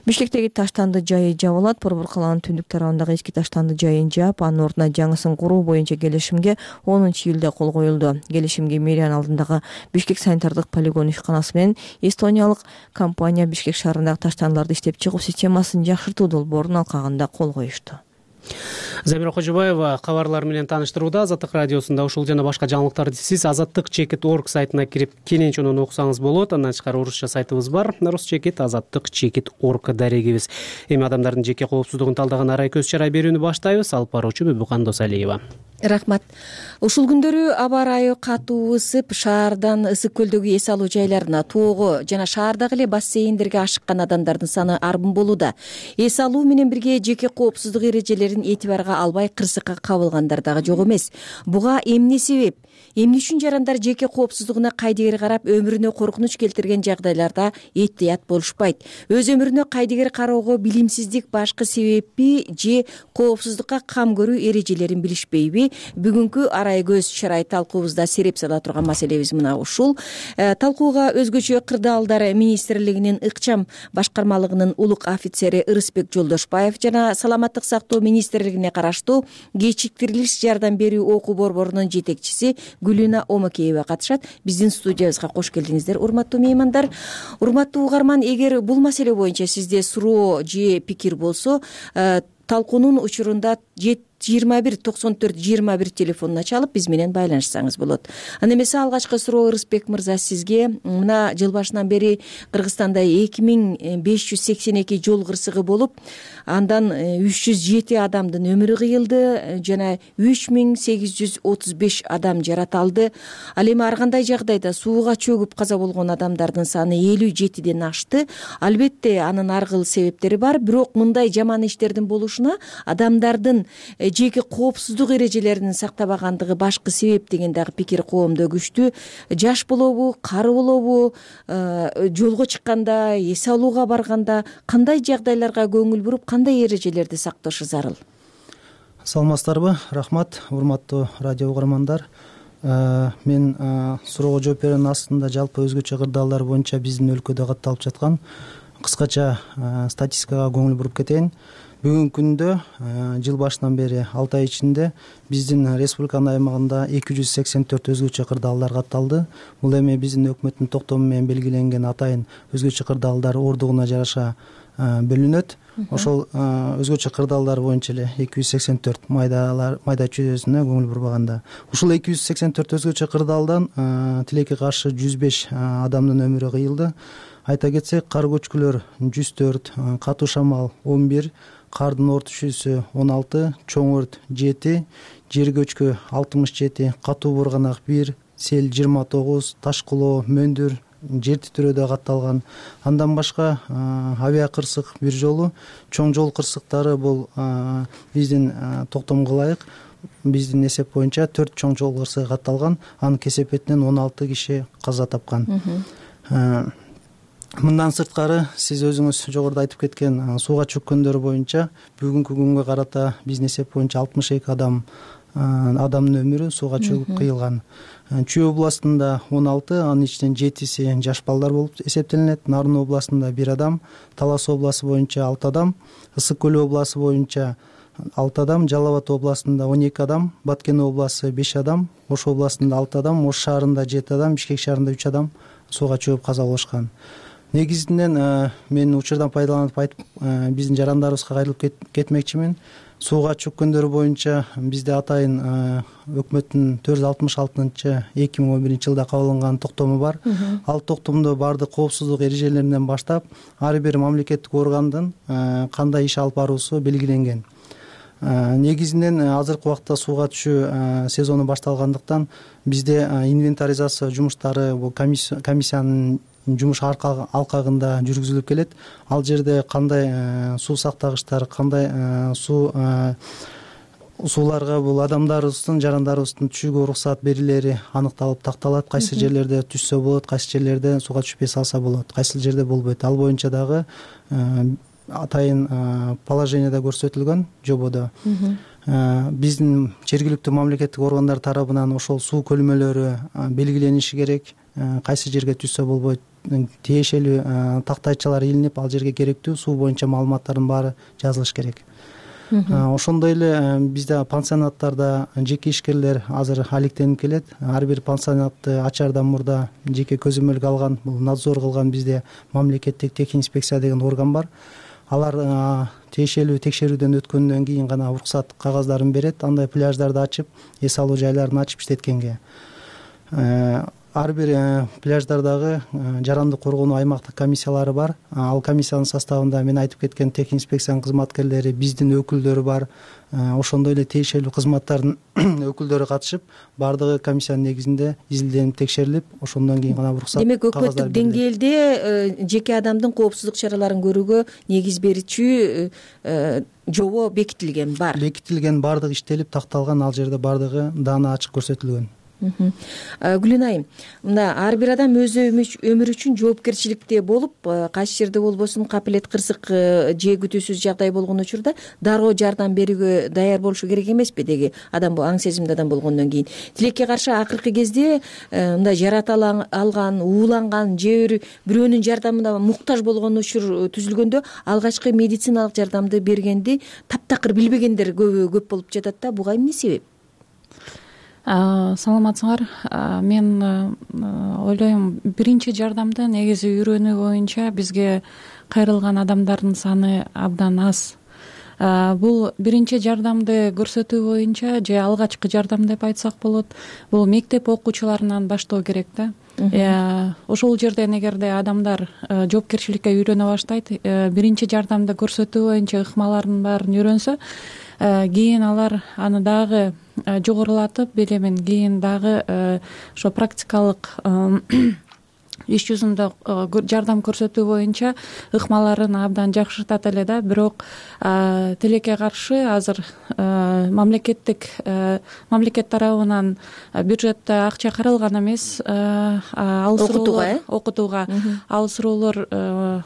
Бишкектеги таштанды жайы жабылат. Борбор калаанын түндүк тарабындагы эски таштанды жайын жаап, анын ордуна жаңысын куруу боюнча келишимге 10 июлда кол коюлду. Келишимге мэриянын алдындагы Бишкек санитардык полигон ишканасы менен эстониялык компания Бишкек шаарындагы таштандыларды иштеп чыгуу системасын жакшыртуу долбоорунун алкагында кол коюшту. Замира Кожобаева кабарлар менен тааныштырууда. Азаттык радиосунда ушул жана башка жаңылыктарды сиз Азаттык Чекит.org сайтына кирип кенен чонун окусаңыз болот. Андан тышкары орусча сайтыбыз бар. Рус Чекит, Азаттык Чекит.org дарегибиз. Эми адамдардын жеке коопсуздугун талдаган арай көз чарай берүүнү баштайбыз. Алып баруучу Бүбүкан Досалиева. Рахмат. Ушул күндөрү аба ырайы катуу ысып, шаардан Ысык көлдөгү эс алуу жайларына, тоого жана шаардагы эле бассейндерге ашыккан адамдардын саны арбын болууда. Эс алуу менен бирге жеке коопсуздук эрежелерин этибарга албай кырсыкка кабылгандар дагы жок эмес. Буга эмне себеп? Эмне үчүн жарандар жеке коопсуздугуна кайдыгер карап, өмүрүнө коркунуч келтирген жагдайларда эhtiyat болушпайт? Өз өмүрүнө кайдыгер кароого билимсиздик башкы себеппи же коопсуздукка кам көрүү эрежелерин билишпейби бүгүнкү арай көз шарай талкуубузда сереп сала турган маселебиз мына ушул. Талкууга өзгөчө кырдаалдар министрлигинин ыкчам башкармалыгынын улук офицери Ырысбек Жолдошбаев жана саламаттык сактоо министрлигине караштуу кечиктирилиш жардам берүү окуу борборунун жетекчиси Гүлүна Омакеева катышат. Биздин студиябызга кош келдиңиздер, урматтуу меймандар. Урматтуу угарман, эгер бул маселе боюнча сизде суроо же пикир болсо, талкуунун учурунда 21-94-21 телефонуна чалып биз менен байланышсаңыз болот. Аны эмесе алгачкы суроо Ырысбек мырза сизге. Мына жыл башынан бери Кыргызстанда 2582 жол кырсыгы болуп, андан 307 адамдын өмүрү кыйылды жана 3835 адам жараталды. Ал эми ар кандай жагдайда сууга чөгүп каза болгон адамдардын саны 57ден ашты. Албетте анын ар кыл себептери бар, бирок мындай жаман иштердин болушуна адамдардын жеке коопсуздук эрежелерин сактабагандыгы башкы себеп деген дагы пикир коомдо күчтүү. Жаш болобу, кары болобу, жолго чыкканда, эс алууга барганда кандай жагдайларга көңүл буруп, кандай эрежелерди сакташы зарыл? Саламатсыздарбы? Рахмат, урматтуу радио угармандар. Мен суроого жооп берүүнүн астында жалпы өзгөчө кырдаалдар боюнча биздин өлкөдө катталып жаткан кыскача статистикага көңүл буруп кетейин. Бүгүнкү күндө жыл башынан бери 6 ай ичинде биздин республиканын аймагында 284 өзгөчө кырдаалдар катталды. Бул эми биздин өкмөттүн токтому менен белгиленген атайын өзгөчө кырдаалдар ордугуна жараша бөлүнөт. Ошол өзгөчө кырдаалдар боюнча эле 284 майда чүйдөсүнө көңүл бурбаганда. Ушул 284 өзгөчө кырдаалдан тилекке каршы 105 адамдын өмүрү кыйылды. Айта кетсек, кар көчкүлөр 104, катуу шамал 11, кардын ортүшүүсү 16, чоң өрт 7, жер көчкү 67, катуу бурганак 1, сел 29, таш кулоо, мөндүр, жер титирөөдө катталган. Андан башка авиа кырсык бир жолу, чоң жол кырсыктары бул биздин токтомго ылайык биздин эсеп боюнча 4 чоң жол кырсыгы катталган. Анын кесепетинен 16 киши каза тапкан. Мындан сырткары сиз өзүңүз жогоруда айтып кеткен сууга чөккөндөр боюнча бүгүнкү күнгө карата биздин эсеп боюнча 62 адамдын өмүрү сууга чөгүп кыйылган. Чүй областында 16, анын ичинен 7си жаш балдар болуп эсептелинет. Нарын областында 1 адам, Талас областы боюнча 6 адам, Ысык көл областы боюнча 6 адам, Жалал Абад областында 12 адам, Баткен областы 5 адам, Ош областында 6 адам, Ош шаарында 7 адам, Бишкек шаарында 3 адам сууга чөгүп каза болушкан. Негизинен мен учурдан пайдаланып айтып биздин жарандарыбызга кайрылып кетмекчимин. Сууга чөккөндөр боюнча бизде атайын өкмөттүн 466-2011 жылда кабыл алынган токтому бар. Ал токтомдо баардык коопсуздук эрежелеринен баштап ар бир мамлекеттик органдын кандай иш алып баруусу белгиленген. Негизинен азыркы убакта сууга түшүү сезону башталгандыктан бизде инвентаризация жумуштары бул комиссиянын жумуш алкагында жүргүзүлүп келет. Ал жерде кандай суу сактагычтар, кандай сууларга бул адамдарыбыздын, жарандарыбыздын түшүүгө уруксат берилери аныкталып такталат. Кайсы жерлерде түшсө болот, кайсы жерлерде сууга түшпөй салса болот, кайсы жерде болбойт. Ал боюнча дагы атайын положениеде көрсөтүлгөн жободо. Биздин жергиликтүү мамлекеттик органдар тарабынан ошол суу көлмөлөрү белгилениши керек. Кайсы жерге түшсө болбойт, тиешелүү тактайчалар илинип, ал жерге керектүү суу боюнча маалыматтардын баары жазылыш керек. Ошондой эле бизде пансионаттарда жеке ишкерлер азыр алектенип келет. Ар бир пансионатты ачаардан мурда жеке көзөмөлгө алган, бул надзор кылган бизде мамлекеттик техинспекция деген орган бар. Алар тиешелүү текшерүүдөн өткөндөн кийин гана уруксат кагаздарын берет. Андай пляждарды ачып, эс алуу жайларын ачып иштеткенге. Ар бир пляждардагы жарандык коргонуу аймактык комиссиялары бар. Ал комиссиянын составында мен айтып кеткен техинспекциянын кызматкерлери, биздин өкүлдөрү бар. Ошондой эле тиешелүү кызматтардын өкүлдөрү катышып, баардыгы комиссиянын негизинде изилденип, текшерилип, ошондон кийин гана уруксат. Демек, өкмөттүк деңгээлде жеке адамдын коопсуздук чараларын көрүүгө негиз берүүчү жобо бекитилген бар. Бекитилген, баардыгы иштелип, такталган, ал жерде баардыгы даана ачык көрсөтүлгөн. Гүлен айым, мына ар бир адам өз өмүрү үчүн жоопкерчиликте болуп, кайсы жерде болбосун капилет кырсык же күтүүсүз жагдай болгон учурда дароо жардам берүүгө даяр болушу керек эмеспи? Деги адам аң сезимдүү адам болгондон кийин тилекке каршы акыркы кезде мындай жарата алган, ууланган же бирөөнүн жардамына муктаж болгон учур түзүлгөндө алгачкы медициналык жардамды бергенди таптакыр билбегендер көп болуп жатат да. Буга эмне себеп? Саламатсыңар. Мен ойлойм, биринчи жардамды негизи үйрөнүү боюнча бизге кайрылган адамдардын саны абдан аз. Бул биринчи жардамды көрсөтүү боюнча же алгачкы жардам деп айтсак болот, бул мектеп окуучуларынан баштоо керек да. Ошол жерден эгерде адамдар жоопкерчиликке үйрөнө баштайт, биринчи жардамды көрсөтүү боюнча ыкмалардын баарын үйрөнсө, кийин алар аны дагы жогорулатып, билемин, кийин дагы ошо практикалык иш жүзүндө жардам көрсөтүү боюнча ыкмаларын абдан жакшыртат эле да. Бирок тилекке каршы азыр мамлекет тарабынан бюджетте акча каралган эмес. Окутууга ал суроолор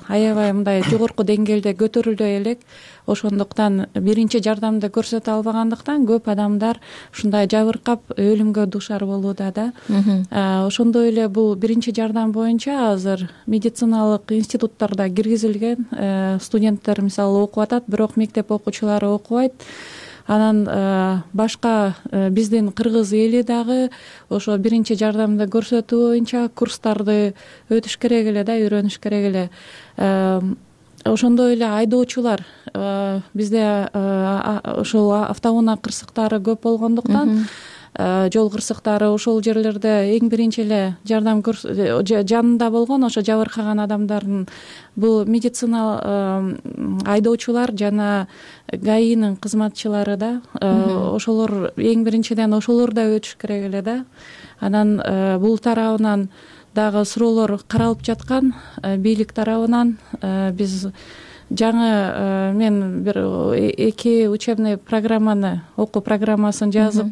аябай мындай жогорку деңгээлде көтөрүлбөй элек. Ошондуктан биринчи жардамды көрсөтө албагандыктан көп адамдар ушундай жабыркап өлүмгө дуушар болууда да. Ошондой эле бул биринчи жардам боюнча азыр медициналык институттарда киргизилген. Студенттер мисалы окуп атат, бирок мектеп окуучулары окубайт. Анан башка биздин кыргыз эли дагы ошо биринчи жардамды көрсөтүү боюнча курстарды өтүш керек эле да, үйрөнүш керек эле. Ошондой эле айдоочулар, бизде ошол автоунаа кырсыктары көп болгондуктан, жол кырсыктары ошол жерлерде эң биринчи эле жардам жанында болгон ошо жабыркаган адамдардын бул медицина айдоочулар жана ГАИнин кызматчылары да, ошолор эң биринчиден ошолор да өтүш керек эле да. Анан бул тарабынан дагы суроолор каралып жаткан, бийлик тарабынан. Биз жаңы мен бир 2 учебный программаны, окуу программасын жазып,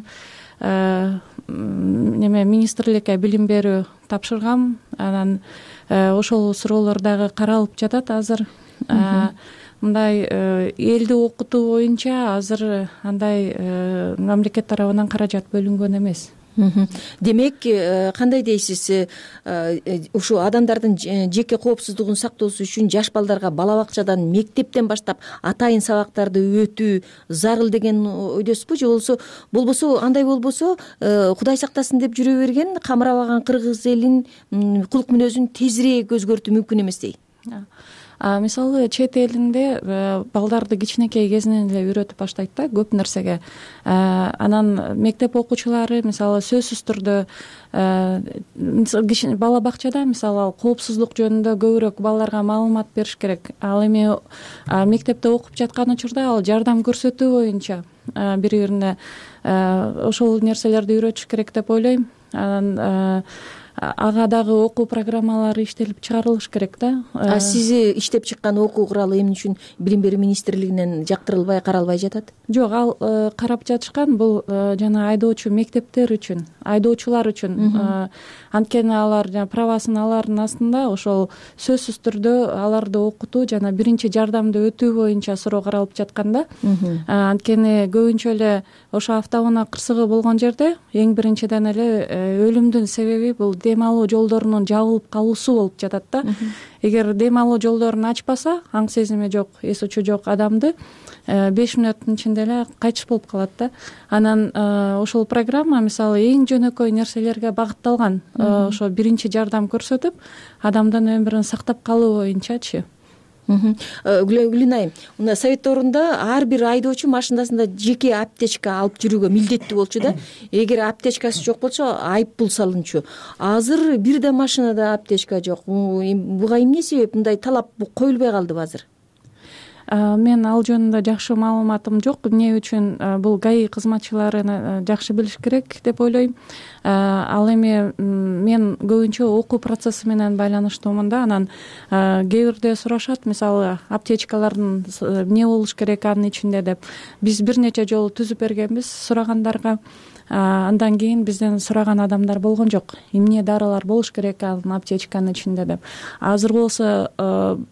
министрликке билим берүү тапшыргам. Анан ошол суроолор дагы каралып жатат азыр. Мындай элди окутуу боюнча азыр андай мамлекет тарабынан каражат бөлүнгөн эмес. Демек, кандай дейсиз, ушу адамдардын жеке коопсуздугун сактоосу үчүн жаш балдарга бала бакчадан, мектептен баштап атайын сабактарды өтүү зарыл деген ойдосузбу? Же болбосо андай болбосо, Кудай сактасын деп жүрө берген камырабаган кыргыз элин кулк мүнөзүн тезирээк өзгөртүү мүмкүн эмес дейт. Мисалы чет элинде балдарды кичинекей кезинен эле үйрөтүп баштайт да көп нерсеге. Анан мектеп окуучулары мисалы сөзсүз түрдө бала бакчада мисалы коопсуздук жөнүндө көбүрөөк балдарга маалымат бериш керек. Ал эми мектепте окуп жаткан учурда ал жардам көрсөтүү боюнча бири-бирине ошол нерселерди үйрөтүш керек деп ойлойм. Анан ага дагы окуу программалары иштелип чыгарылыш керек да. Сиз иштеп чыккан окуу куралы эмне үчүн Билим берүү министрлигинен жактырылбай, каралбай жатат? Жок, ал карап жатышкан. Бул жана айдоочу мектептер үчүн, айдоочулар үчүн. Анткени алар правасын алардын астында ошол сөзсүз түрдө аларды окутуу жана биринчи жардамды өтүү боюнча суроо каралып жаткан да. Анткени көбүнчө эле ошо автоунаа кырсыгы болгон жерде эң биринчиден эле өлүмдүн себеби бул дем алуу жолдорунун жабылып калуусу болуп жатат да. Эгер дем алуу жолдорун ачпаса, аң сезими жок, эс учу жок адамды 5 мүнөттүн ичинде эле кайтыш болуп калат да. Анан ошол программа мисалы эң жөнөкөй нерселерге багытталган. Ошо биринчи жардам көрсөтүп, адамдын өмүрүн сактап калуу боюнчачы. Гүлен айым, мына совет орунда ар бир айдоочу машинасында жеке аптечка алып жүрүүгө милдеттүү болчу да. Эгер аптечкасы жок болсо айып пул салынчу. Азыр бир да машинада аптечка жок. Буга эмне себеп? Мындай талап коюлбай калдыбы азыр? Мен ал жөнүндө жакшы маалыматым жок. Эмне үчүн бул ГАИ кызматчылары жакшы билиш керек деп ойлойм. Ал эми мен көбүнчө окуу процесси менен байланыштуумун да. Анан кээ бирде сурашат, мисалы аптечкалардын эмне болуш керек анын ичинде деп. Биз бир нече жолу түзүп бергенбиз сурагандарга. Андан кийин бизден сураган адамдар болгон жок, эмне дарылар болуш керек ал аптечканын ичинде деп. Азыр болсо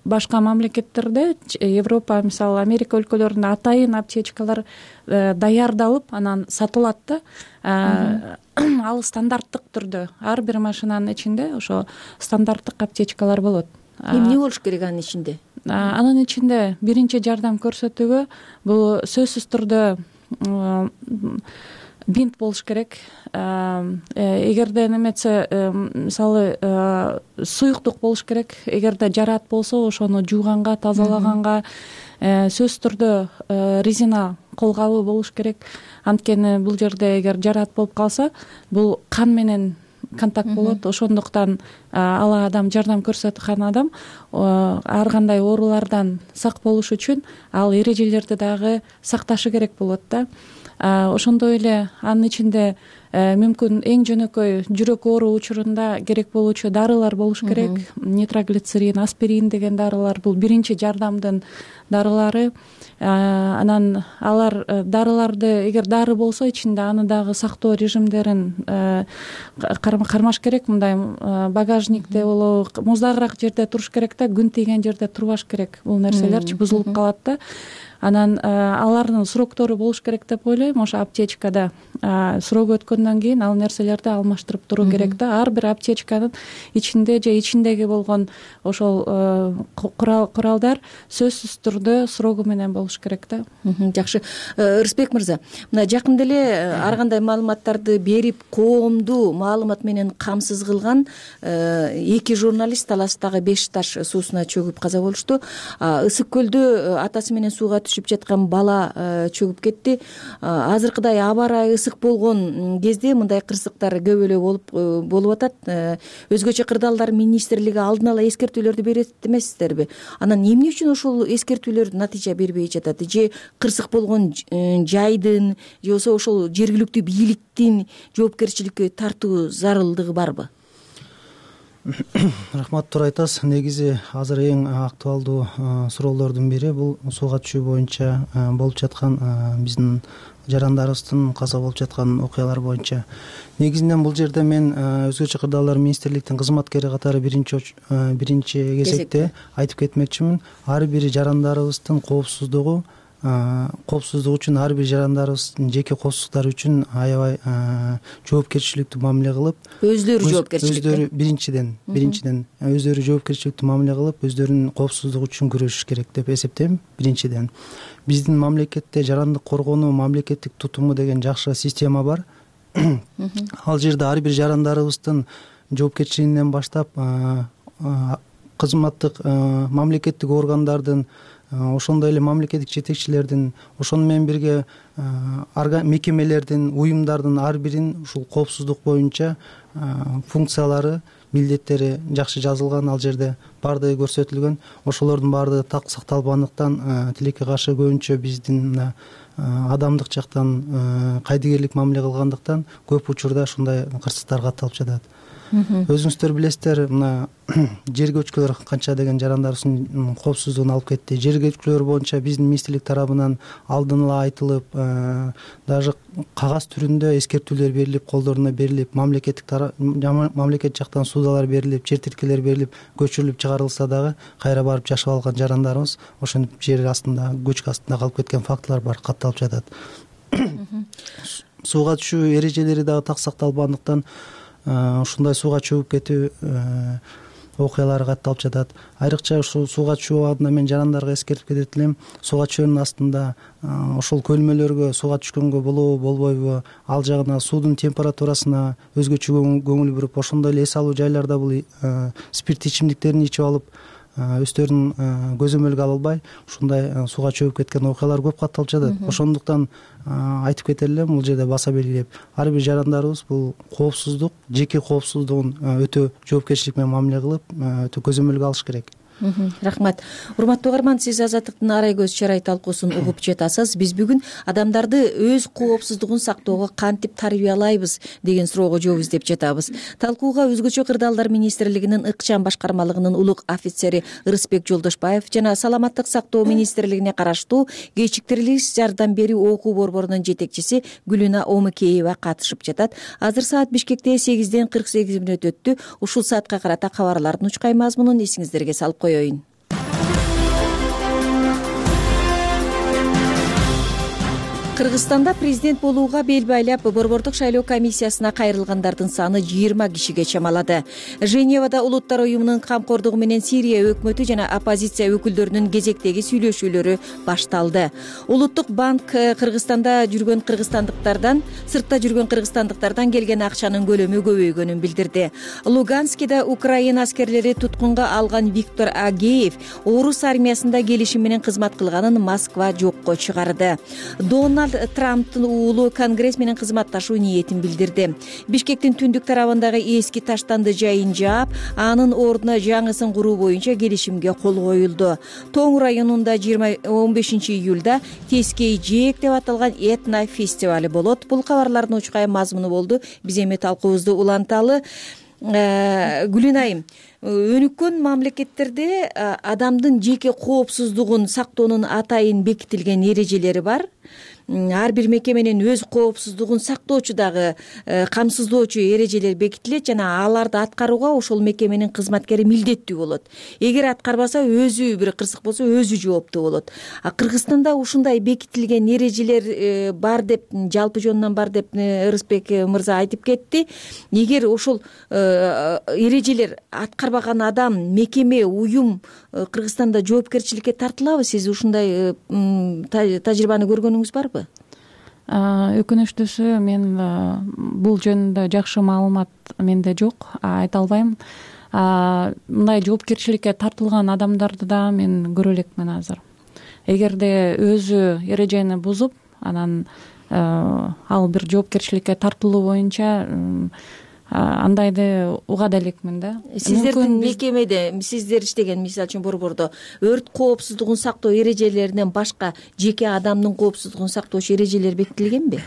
башка мамлекеттерде, Европа, мисалы Америка өлкөлөрүндө атайын аптечкалар даярдалып анан сатылат да. Ал стандарттык түрдө ар бир машинанын ичинде ошо стандарттык аптечкалар болот. Эмне болуш керек анын ичинде? Анын ичинде биринчи жардам көрсөтүүгө бул сөзсүз түрдө бинт болуш керек. Эгерде неметсе, мисалы суюктук болуш керек. Эгерде жараат болсо ошону жууганга, тазалаганга сөзсүз түрдө резина колгабы болуш керек. Анткени бул жерде эгер жараат болуп калса, бул кан менен контакт болот. Ошондуктан ал адам, жардам көрсөткөн адам ар кандай оорулардан сак болуш үчүн ал эрежелерди дагы сакташы керек болот да. Ошондой эле анын ичинде мүмкүн эң жөнөкөй жүрөк оору учурунда керек болуучу дарылар болуш керек. Нитроглицерин, аспирин деген дарылар бул биринчи жардамдын дарылары. Анан алар дарыларды, эгер дары болсо ичинде аны дагы сактоо режимдерин кармаш керек. Мындай багажникте болобу, муздагыраак жерде туруш керек да, күн тийген жерде турбаш керек. Бул нерселерчи бузулуп калат да. Анан алардын сроктору болуш керек деп ойлойм. Ошо аптечкада срок өткөндөн кийин ал нерселерди алмаштырып туруу керек да. Ар бир аптечканын ичинде же ичиндеги болгон ошол куралдар сөзсүз түрдө срогу менен болуш керек да. Жакшы. Рысбек мырза, мына жакында эле ар кандай маалыматтарды берип, коомду маалымат менен камсыз кылган 2 журналист Таластагы Беш таш суусуна чөгүп каза болушту. Ысык көлдө атасы менен сууга түшүп жаткан бала чөгүп кетти. Азыркыдай аба ырайы ысык болгон кезде мындай кырсыктар көп эле болуп атат. Өзгөчө кырдаалдар министрлиги алдын ала эскертүүлөрдү берет эмессиздерби? Анан эмне үчүн ошол эскертүүлөр натыйжа бербей жатат? Же кырсык болгон жайдын, же болбосо ошол жергиликтүү бийликтин жоопкерчиликке тартуу зарылдыгы барбы? Рахмат, туура айтасыз. Негизи азыр эң актуалдуу суроолордун бири бул сууга түшүү боюнча болуп жаткан биздин жарандарыбыздын каза болуп жаткан окуялар боюнча. Негизинен бул жерде мен өзгөчө кырдаалдар министрликтин кызматкери катары биринчи кезекте айтып кетмекчимин. Ар бир жарандарыбыздын коопсуздугу үчүн, ар бир жарандарыбыздын жеке коопсуздуктары үчүн аябай жоопкерчиликтүү мамиле кылып, өздөрү биринчиден өздөрү жоопкерчиликтүү мамиле кылып, өздөрүнүн коопсуздугу үчүн күрөшүш керек деп эсептейм. Биринчиден биздин мамлекетте жарандык коргонуу мамлекеттик тутуму деген жакшы система бар. Ал жерде ар бир жарандарыбыздын жоопкерчилигинен баштап кызматтык мамлекеттик органдардын, ошондой эле мамлекеттик жетекчилердин, ошону менен бирге мекемелердин, уюмдардын ар биринин ушул коопсуздук боюнча функциялары, милдеттери жакшы жазылган. Ал жерде баардыгы көрсөтүлгөн. Ошолордун баардыгы так сакталбагандыктан тилекке каршы көбүнчө биздин адамдык жактан кайдыгерлик мамиле кылгандыктан көп учурда ушундай кырсыктар катталып жатат. Өзүңүздөр билесиздер, мына жер көчкүлөр канча деген жарандарыбыздын коопсуздугун алып кетти. Жер көчкүлөр боюнча биздин министрлик тарабынан алдын ала айтылып, даже кагаз түрүндө эскертүүлөр берилип, колдоруна берилип, мамлекет жактан суудалар берилип, жер тилкелер берилип, көчүрүлүп чыгарылса дагы кайра барып жашап алган жарандарыбыз ошентип жер астында, көчкү астында калып кеткен фактылар бар, катталып жатат. Сууга түшүү эрежелери дагы так сакталбагандыктан ушундай сууга чөгүп кетүү окуялары катталып жатат. Айрыкча ушул сууга түшүү убагында мен жарандарга эскертип кетет элем. Сууга түшөөнүн астында ошол көлмөлөргө сууга түшкөнгө болобу, болбойбу, ал жагына суудун температурасына өзгөчө көңүл буруп, ошондой эле эс алуу жайларда бул спирт ичимдиктерин ичип алып, өздөрүн көзөмөлгө ала албай ушундай сууга чөгүп кеткен окуялар көп катталып жатат. Ошондуктан айтып кетет элем, бул жерде баса белгилеп, ар бир жарандарыбыз бул коопсуздук, жеке коопсуздугун өтө жоопкерчилик менен мамиле кылып, өтө көзөмөлгө алыш керек. Рахмат. Урматтуу угарман, сиз Азаттыктын арай көз чарай талкуусун угуп жатасыз. Биз бүгүн адамдарды өз коопсуздугун сактоого кантип тарбиялайбыз деген суроого жооп издеп жатабыз. Талкууга Өзгөчө кырдаалдар министрлигинин ыкчам башкармалыгынын улук офицери Ырысбек Жолдошбаев жана Саламаттык сактоо министрлигине караштуу кечиктирилиш жардам берүү окуу борборунун жетекчиси Гүлүна Омукеева катышып жатат. Азыр саат Бишкекте 8:48 өттү. Ушул саатка карата кабарлардын учкай мазмунун эсиңиздерге салып коеюн. Кыргызстанда президент болууга бел байлап борбордук шайлоо комиссиясына кайрылгандардын саны 20 кишиге чамалады. Женевада Улуттар уюмунун камкордугу менен Сирия өкмөтү жана оппозиция өкүлдөрүнүн кезектеги сүйлөшүүлөрү башталды. Улуттук банк Кыргызстанда жүргөн кыргызстандыктардан, сыртта жүргөн кыргызстандыктардан келген акчанын көлөмү көбөйгөнүн билдирди. Луганскида Украина аскерлери туткунга алган Виктор Агеев орус армиясында келишим менен кызмат кылганын Москва жокко чыгарды. Дональд Трамптын уулу Конгресс менен кызматташуу ниетин билдирди. Бишкектин түндүк тарабындагы эски таштанды жайын жаап, анын ордуна жаңысын куруу боюнча келишимге кол коюлду. Тоң районунда 15 июлда Тескей жээк деп аталган этно фестивали болот. Бул кабарлардын учкай мазмуну болду. Биз эми талкуубузду уланталы. Гүлүнайым, өнүккөн мамлекеттерде адамдын жеке коопсуздугун сактоонун атайын бекитилген эрежелери бар. Ар бир мекеменин өз коопсуздугун сактоочу дагы камсыздоочу эрежелер бекитилет жана аларды аткарууга ошол мекеменин кызматкери милдеттүү болот. Эгер аткарбаса, өзү бир кырсык болсо, өзү жооптуу болот. Кыргызстанда ушундай бекитилген эрежелер бар деп, жалпы жөнүнөн бар деп Ырысбек мырза айтып кетти. Эгер ошол эрежелер аткарбаган адам, мекеме, уюм Кыргызстанда жоопкерчиликке тартылабы? Сиз ушундай тажрыйбаны көргөнүңүз барбы? Өкүнүчтүүсү, мен бул жөнүндө жакшы маалымат менде жок, айта албайм. Мындай жоопкерчиликке тартылган адамдарды да мен көрө элекмин азыр. Эгерде өзү эрежени бузуп, анан ал бир жоопкерчиликке тартылуу боюнча андайды уга да элекмин да. Сиздердин мекемеде, сиздер иштеген, мисалы үчүн борбордо өрт коопсуздугун сактоо эрежелеринен башка жеке адамдын коопсуздугун сактоочу эрежелер бекитилгенби?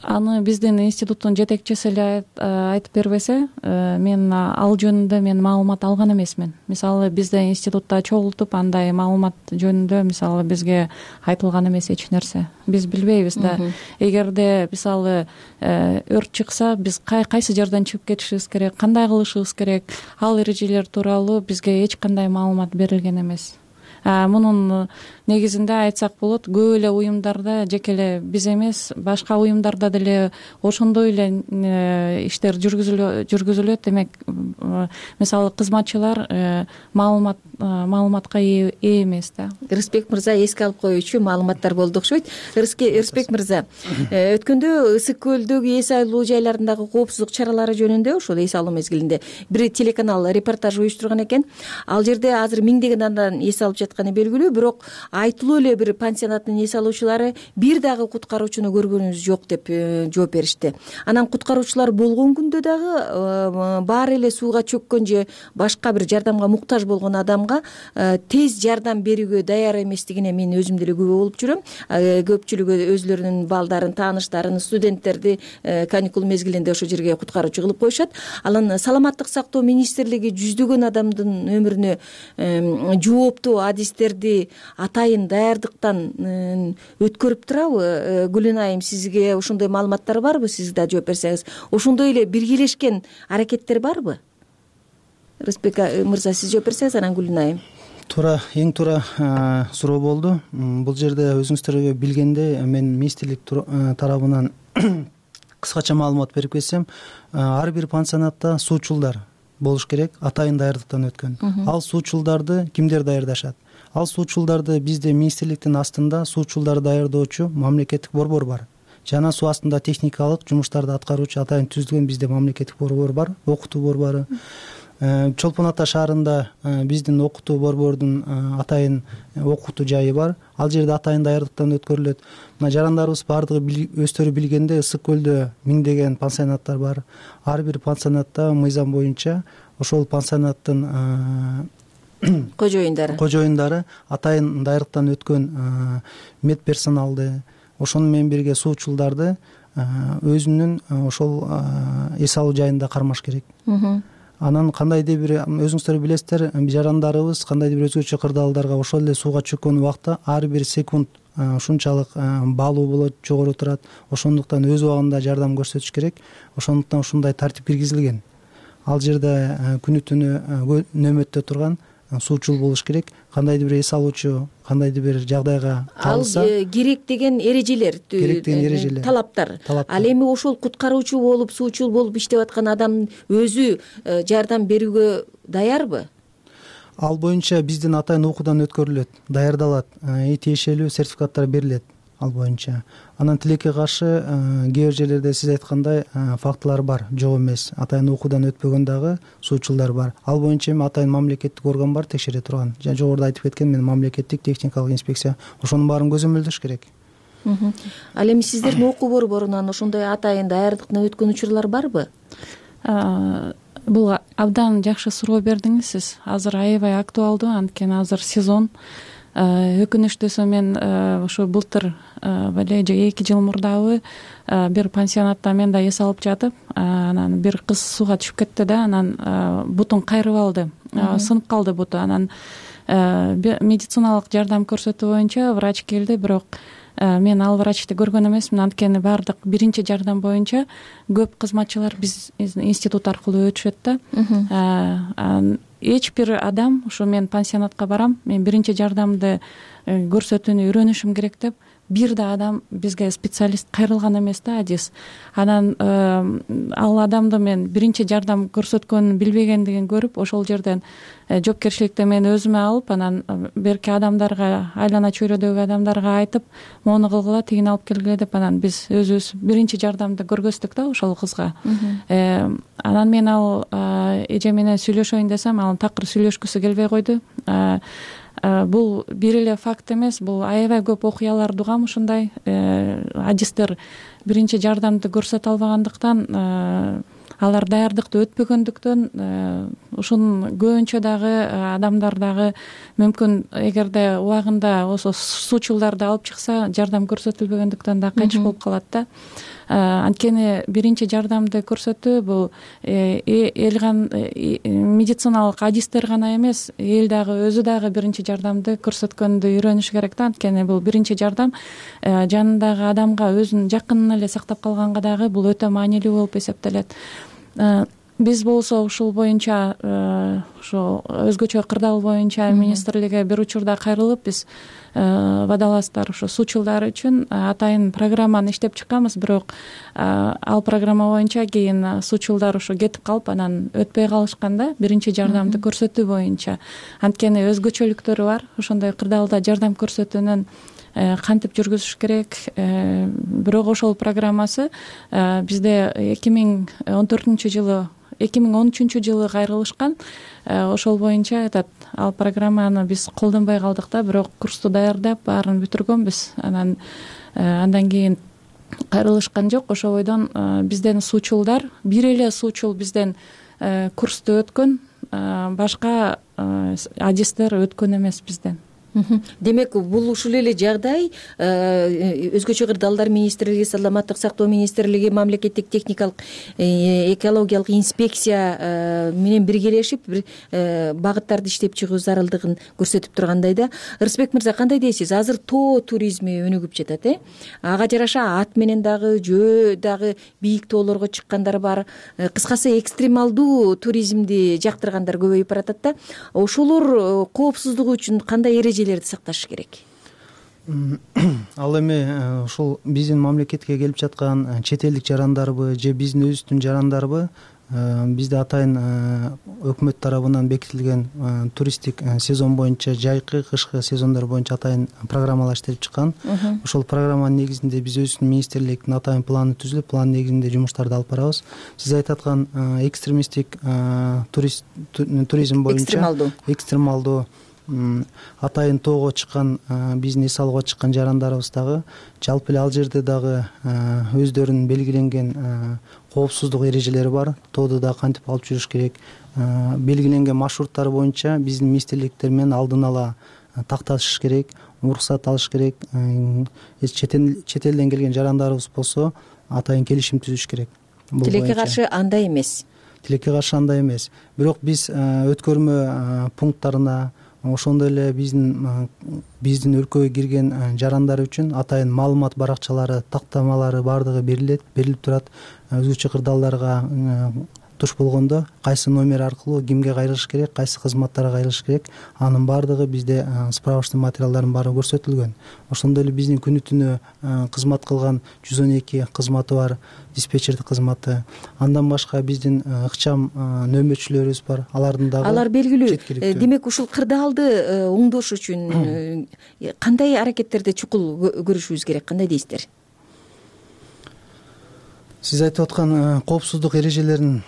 Аны биздин институттун жетекчиси эле айтып бербесе, мен ал жөнүндө маалымат алган эмесмин. Мисалы, бизде институтта чогултуп, андай маалымат жөнүндө мисалы бизге айтылган эмес эч нерсе. Биз билбейбиз да. Эгерде мисалы өрт чыкса, биз кайсы жерден чыгып кетишибиз керек, кандай кылышыбыз керек, ал эрежелер тууралуу бизге эч кандай маалымат берилген эмес. Мунун негизинде айтсак болот, көп эле уюмдарда, жеке эле биз эмес, башка уюмдарда деле ошондой эле иштер жүргүзүлөт. Демек, мисалы кызматчылар маалыматка ээ эмес да. Ырысбек мырза эске алып коюучу маалыматтар болду окшойт. Ырысбек мырза, өткөндө Ысык көлдөгү эс алуу жайларындагы коопсуздук чаралары жөнүндө, ошол эс алуу мезгилинде бир телеканал репортаж уюштурган экен. Ал жерде азыр миңдеген адам эс алып жатканы белгилүү, бирок айтылуу эле бир пансионаттын эс алуучулары бир дагы куткаруучуну көргөнүбүз жок деп жооп беришти. Анан куткаруучулар болгон күндө дагы баары эле сууга чөккөн же башка бир жардамга муктаж болгон адамга тез жардам берүүгө даяр эместигине мен өзүм деле күбө болуп жүрөм. Көпчүлүгү өзүлөрүнүн балдарын, тааныштарын, студенттерди каникул мезгилинде ошол жерге куткаруучу кылып коюшат. Анан Саламаттык сактоо министрлиги жүздөгөн адамдын өмүрүнө жооптуу адистерди атайын даярдыктан өткөрүп турабы? Гүлүнайым, сизге ошондой маалыматтар барбы? Сиз да жооп берсеңиз, ошондой эле биргелешкен аракеттер барбы? Рысбек мырза, сиз жооп берсеңиз, анан Гүлүнайым. Туура, эң туура суроо болду. Бул жерде өзүңүздөр билгендей, мен министрлик тарабынан кыскача маалымат берип кетсем, ар бир пансионатта суучулдар болуш керек, атайын даярдыктан өткөн. Ал суучулдарды кимдер даярдашат? Ал суучулдарды бизде министрликтин астында суучулдарды даярдоочу мамлекеттик борбор бар. Жана суу астында техникалык жумуштарды аткаруучу атайын түзүлгөн бизде мамлекеттик борбор бар, окутуу борбору. Чолпон Ата шаарында биздин окутуу борбордун атайын окутуу жайы бар. Ал жерде атайын даярдыктан өткөрүлөт. Мына жарандарыбыз баардыгы өздөрү билгенде, Ысык көлдө миңдеген пансионаттар бар. Ар бир пансионатта мыйзам боюнча ошол пансионаттын кожоюндары атайын дайрыктан өткөн медперсоналды, ошону менен бирге суучулдарды өзүнүн ошол эс алуу жайында кармаш керек. Анан кандайдыр бир, өзүңүздөр билесиздер, жарандарыбыз кандайдыр бир өзгөчө кырдаалдарга ошол эле сууга чөккөн убакта ар бир секунд ушунчалык баалуу болот, жогору турат. Ошондуктан өз убагында жардам көрсөтүш керек. Ошондуктан ушундай тартип киргизилген. Ал жерде күнү түнү нөмөттө турган суучул болуш керек. Кандайдыр бир эс алуучу кандайдыр бир жагдайга калса, ал керек деген эрежелер, талаптар. Ал эми ошол куткаруучу болуп, суучул болуп иштеп аткан адам өзү жардам берүүгө даярбы? Ал боюнча биздин атайын окуудан өткөрүлөт, даярдалат, тиешелүү сертификаттар берилет ал боюнча. Анан тилекке каршы кээ бир жерлерде сиз айткандай фактылар бар, жок эмес. Атайын окуудан өтпөгөн дагы суучулдар бар. Ал боюнча эми атайын мамлекеттик орган бар, текшере турган. Жогоруда айтып кеткен мен, мамлекеттик техникалык инспекция. Ошонун баарын көзөмөлдөш керек. Ал эми сиздердин окуу борборунан ошондой атайын даярдыктан өткөн учурлар барбы? Бул абдан жакшы суроо бердиңиз сиз. Азыр аябай актуалдуу, анткени азыр сезон. Өкүнүчтүүсү мен ошо былтыр же 2 жыл мурдабы бир пансионатта мен да эс алып жатып, анан бир кыз сууга түшүп кетти да, анан бутун кайрып алды, сынып калды буту. Анан медициналык жардам көрсөтүү боюнча врач келди, бирок мен ал врачты көргөн эмесмин, анткени баардык биринчи жардам боюнча көп кызматчылар биз институт аркылуу өтүшөт да. Эч бир адам, ушу мен пансионатка барам, мен биринчи жардамды көрсөтүүнү үйрөнүшүм керек деп, бир да адам бизге специалист кайрылган эмес да, адис. Анан ал адамды мен биринчи жардам көрсөткөнүн билбегендигин көрүп, ошол жерден жоопкерчиликти мен өзүмө алып, анан берки адамдарга, айлана чөйрөдөгү адамдарга айтып, мону кылгыла, тигини алып келгиле деп, анан биз өзүбүз биринчи жардамды көргөздүк да ошол кызга. Анан мен ал эже менен сүйлөшөйүн десем, ал такыр сүйлөшкүсү келбей койду. Бул бир эле факт эмес, бул аябай көп окуяларды угам ушундай. Адистер биринчи жардамды көрсөтө албагандыктан, алар даярдыкты өтпөгөндүктөн, ушунун көбүнчө дагы адамдар дагы мүмкүн эгерде убагында ошо суучулдарды алып чыкса, жардам көрсөтүлбөгөндүктөн да кайтыш болуп калат да. Анткени биринчи жардамды көрсөтүү бул медициналык адистер гана эмес, эл дагы өзү дагы биринчи жардамды көрсөткөндү үйрөнүш керек да. Анткени бул биринчи жардам жанындагы адамга, өзүнүн жакынын эле сактап калганга дагы бул өтө маанилүү болуп эсептелет. Биз болсо ушул боюнча, ошо өзгөчө кырдаал боюнча министрликке бир учурда кайрылып, биз водолаздар, ошо суучулдар үчүн атайын программаны иштеп чыкканбыз, бирок ал программа боюнча кийин суучулдар ошо кетип калып, анан өтпөй калышкан да, биринчи жардамды көрсөтүү боюнча. Анткени өзгөчөлүктөрү бар, ошондой кырдаалда жардам көрсөтүүнүн кантип жүргүзүш керек. Бирок ошол программасы бизде 2013 жылы кайрылышкан. Ошол боюнча ал программаны биз колдонбой калдык да, бирок курсту даярдап, баарын бүтүргөнбүз. Андан кийин кайрылышкан жок. Ошол бойдон бизден суучулдар, бир эле суучул бизден курсту өткөн, башка адистер өткөн эмес бизден. Демек, бул ушул эле жагдай өзгөчө кырдаалдар министрлиги, саламаттык сактоо министрлиги, мамлекеттик техникалык экологиялык инспекция менен биргелешип бир багыттарды иштеп чыгуу зарылдыгын көрсөтүп тургандай да. Ырысбек мырза, кандай дейсиз? Азыр тоо туризми өнүгүп жатат, ага жараша ат менен дагы, жөө дагы бийик тоолорго чыккандар бар. Кыскасы, экстремалдуу туризмди жактыргандар көбөйүп баратат да. Ошолор коопсуздугу үчүн кандай сакташ керек? Ал эми ушул биздин мамлекетке келип жаткан чет элдик жарандарбы же биздин өзүбүздүн жарандарбы, бизде атайын өкмөт тарабынан бекитилген туристтик сезон боюнча, жайкы, кышкы сезондор боюнча атайын программалар иштелип чыккан. Ошол программанын негизинде биз өзүбүздүн министрликтин атайын планы түзүлүп, план негизинде жумуштарды алып барабыз. Сиз айтып аткан экстремисттик туризм боюнча, экстремалдуу атайын тоого чыккан, биздин эс алууга чыккан жарандарыбыз дагы жалпы эле ал жерде дагы өздөрүнүн белгиленген коопсуздук эрежелери бар. Тоодо дагы кантип алып жүрүш керек, белгиленген маршруттар боюнча биздин министрликтер менен алдын ала такташыш керек, уруксат алыш керек. Чет элден келген жарандарыбыз болсо атайын келишим түзүш керек. Тилекке каршы андай эмес. Тилекке каршы андай эмес. Бирок биз өткөрмө пункттарына, ошондой эле биздин өлкөгө кирген жарандар үчүн атайын маалымат баракчалары, тактамалары баардыгы берилип турат. Өзгөчө кырдаалдарга туш болгондо кайсы номер аркылуу кимге кайрылыш керек, кайсы кызматтарга кайрылыш керек, анын баардыгы бизде справочный материалдардын баары көрсөтүлгөн. Ошондой эле биздин күнү түнү кызмат кылган 112 кызматы бар, диспетчердик кызматы. Андан башка биздин ыкчам нөмөтчүлөрүбүз бар. Алар белгилүү. Демек ушул кырдаалды оңдош үчүн кандай аракеттерди чукул көрүшүбүз керек, кандай дейсиздер? Сиз айтып аткан коопсуздук эрежелерин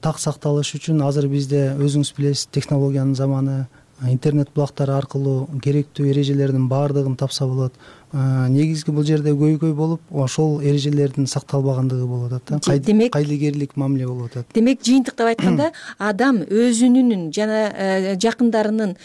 так сакталыш үчүн азыр бизде өзүңүз билесиз, технологиянын заманы, интернет булактары аркылуу керектүү эрежелердин баардыгын тапса болот. Негизги бул жерде көйгөй болуп, ошол эрежелердин сакталбагандыгы болуп атат. Кайдыгерлик мамиле болуп атат. Демек жыйынтыктап айтканда, адам өзүнүн жана жакындарынын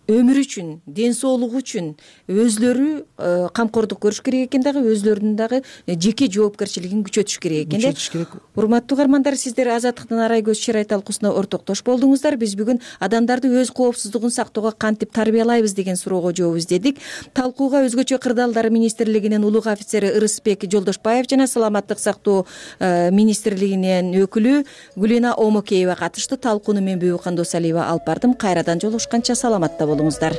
өмүрү үчүн, ден соолугу үчүн өзлөрү камкордук көрүш керек экен, дагы өзлөрүнүн дагы жеке жоопкерчилигин күчөтүш керек экен да. Урматтуу угармандар, сиздер Азаттыктын Арай көз чырай талкуусуна ортоктош болдуңуздар. Биз бүгүн адамдарды өз коопсуздугун сактоого кантип тарбиялайбыз деген суроого жооп издедик. Талкууга Өзгөчө кырдаалдар министрлигинин улуг офицери Ырысбек Жолдошбаев жана Саламаттык сактоо министрлигинин өкүлү Гүлена Омокеева катышты. Талкууну мен Бүбүкан Досалиева алып бардым. Кайрадан жолугушканча саламатта болуңуздар.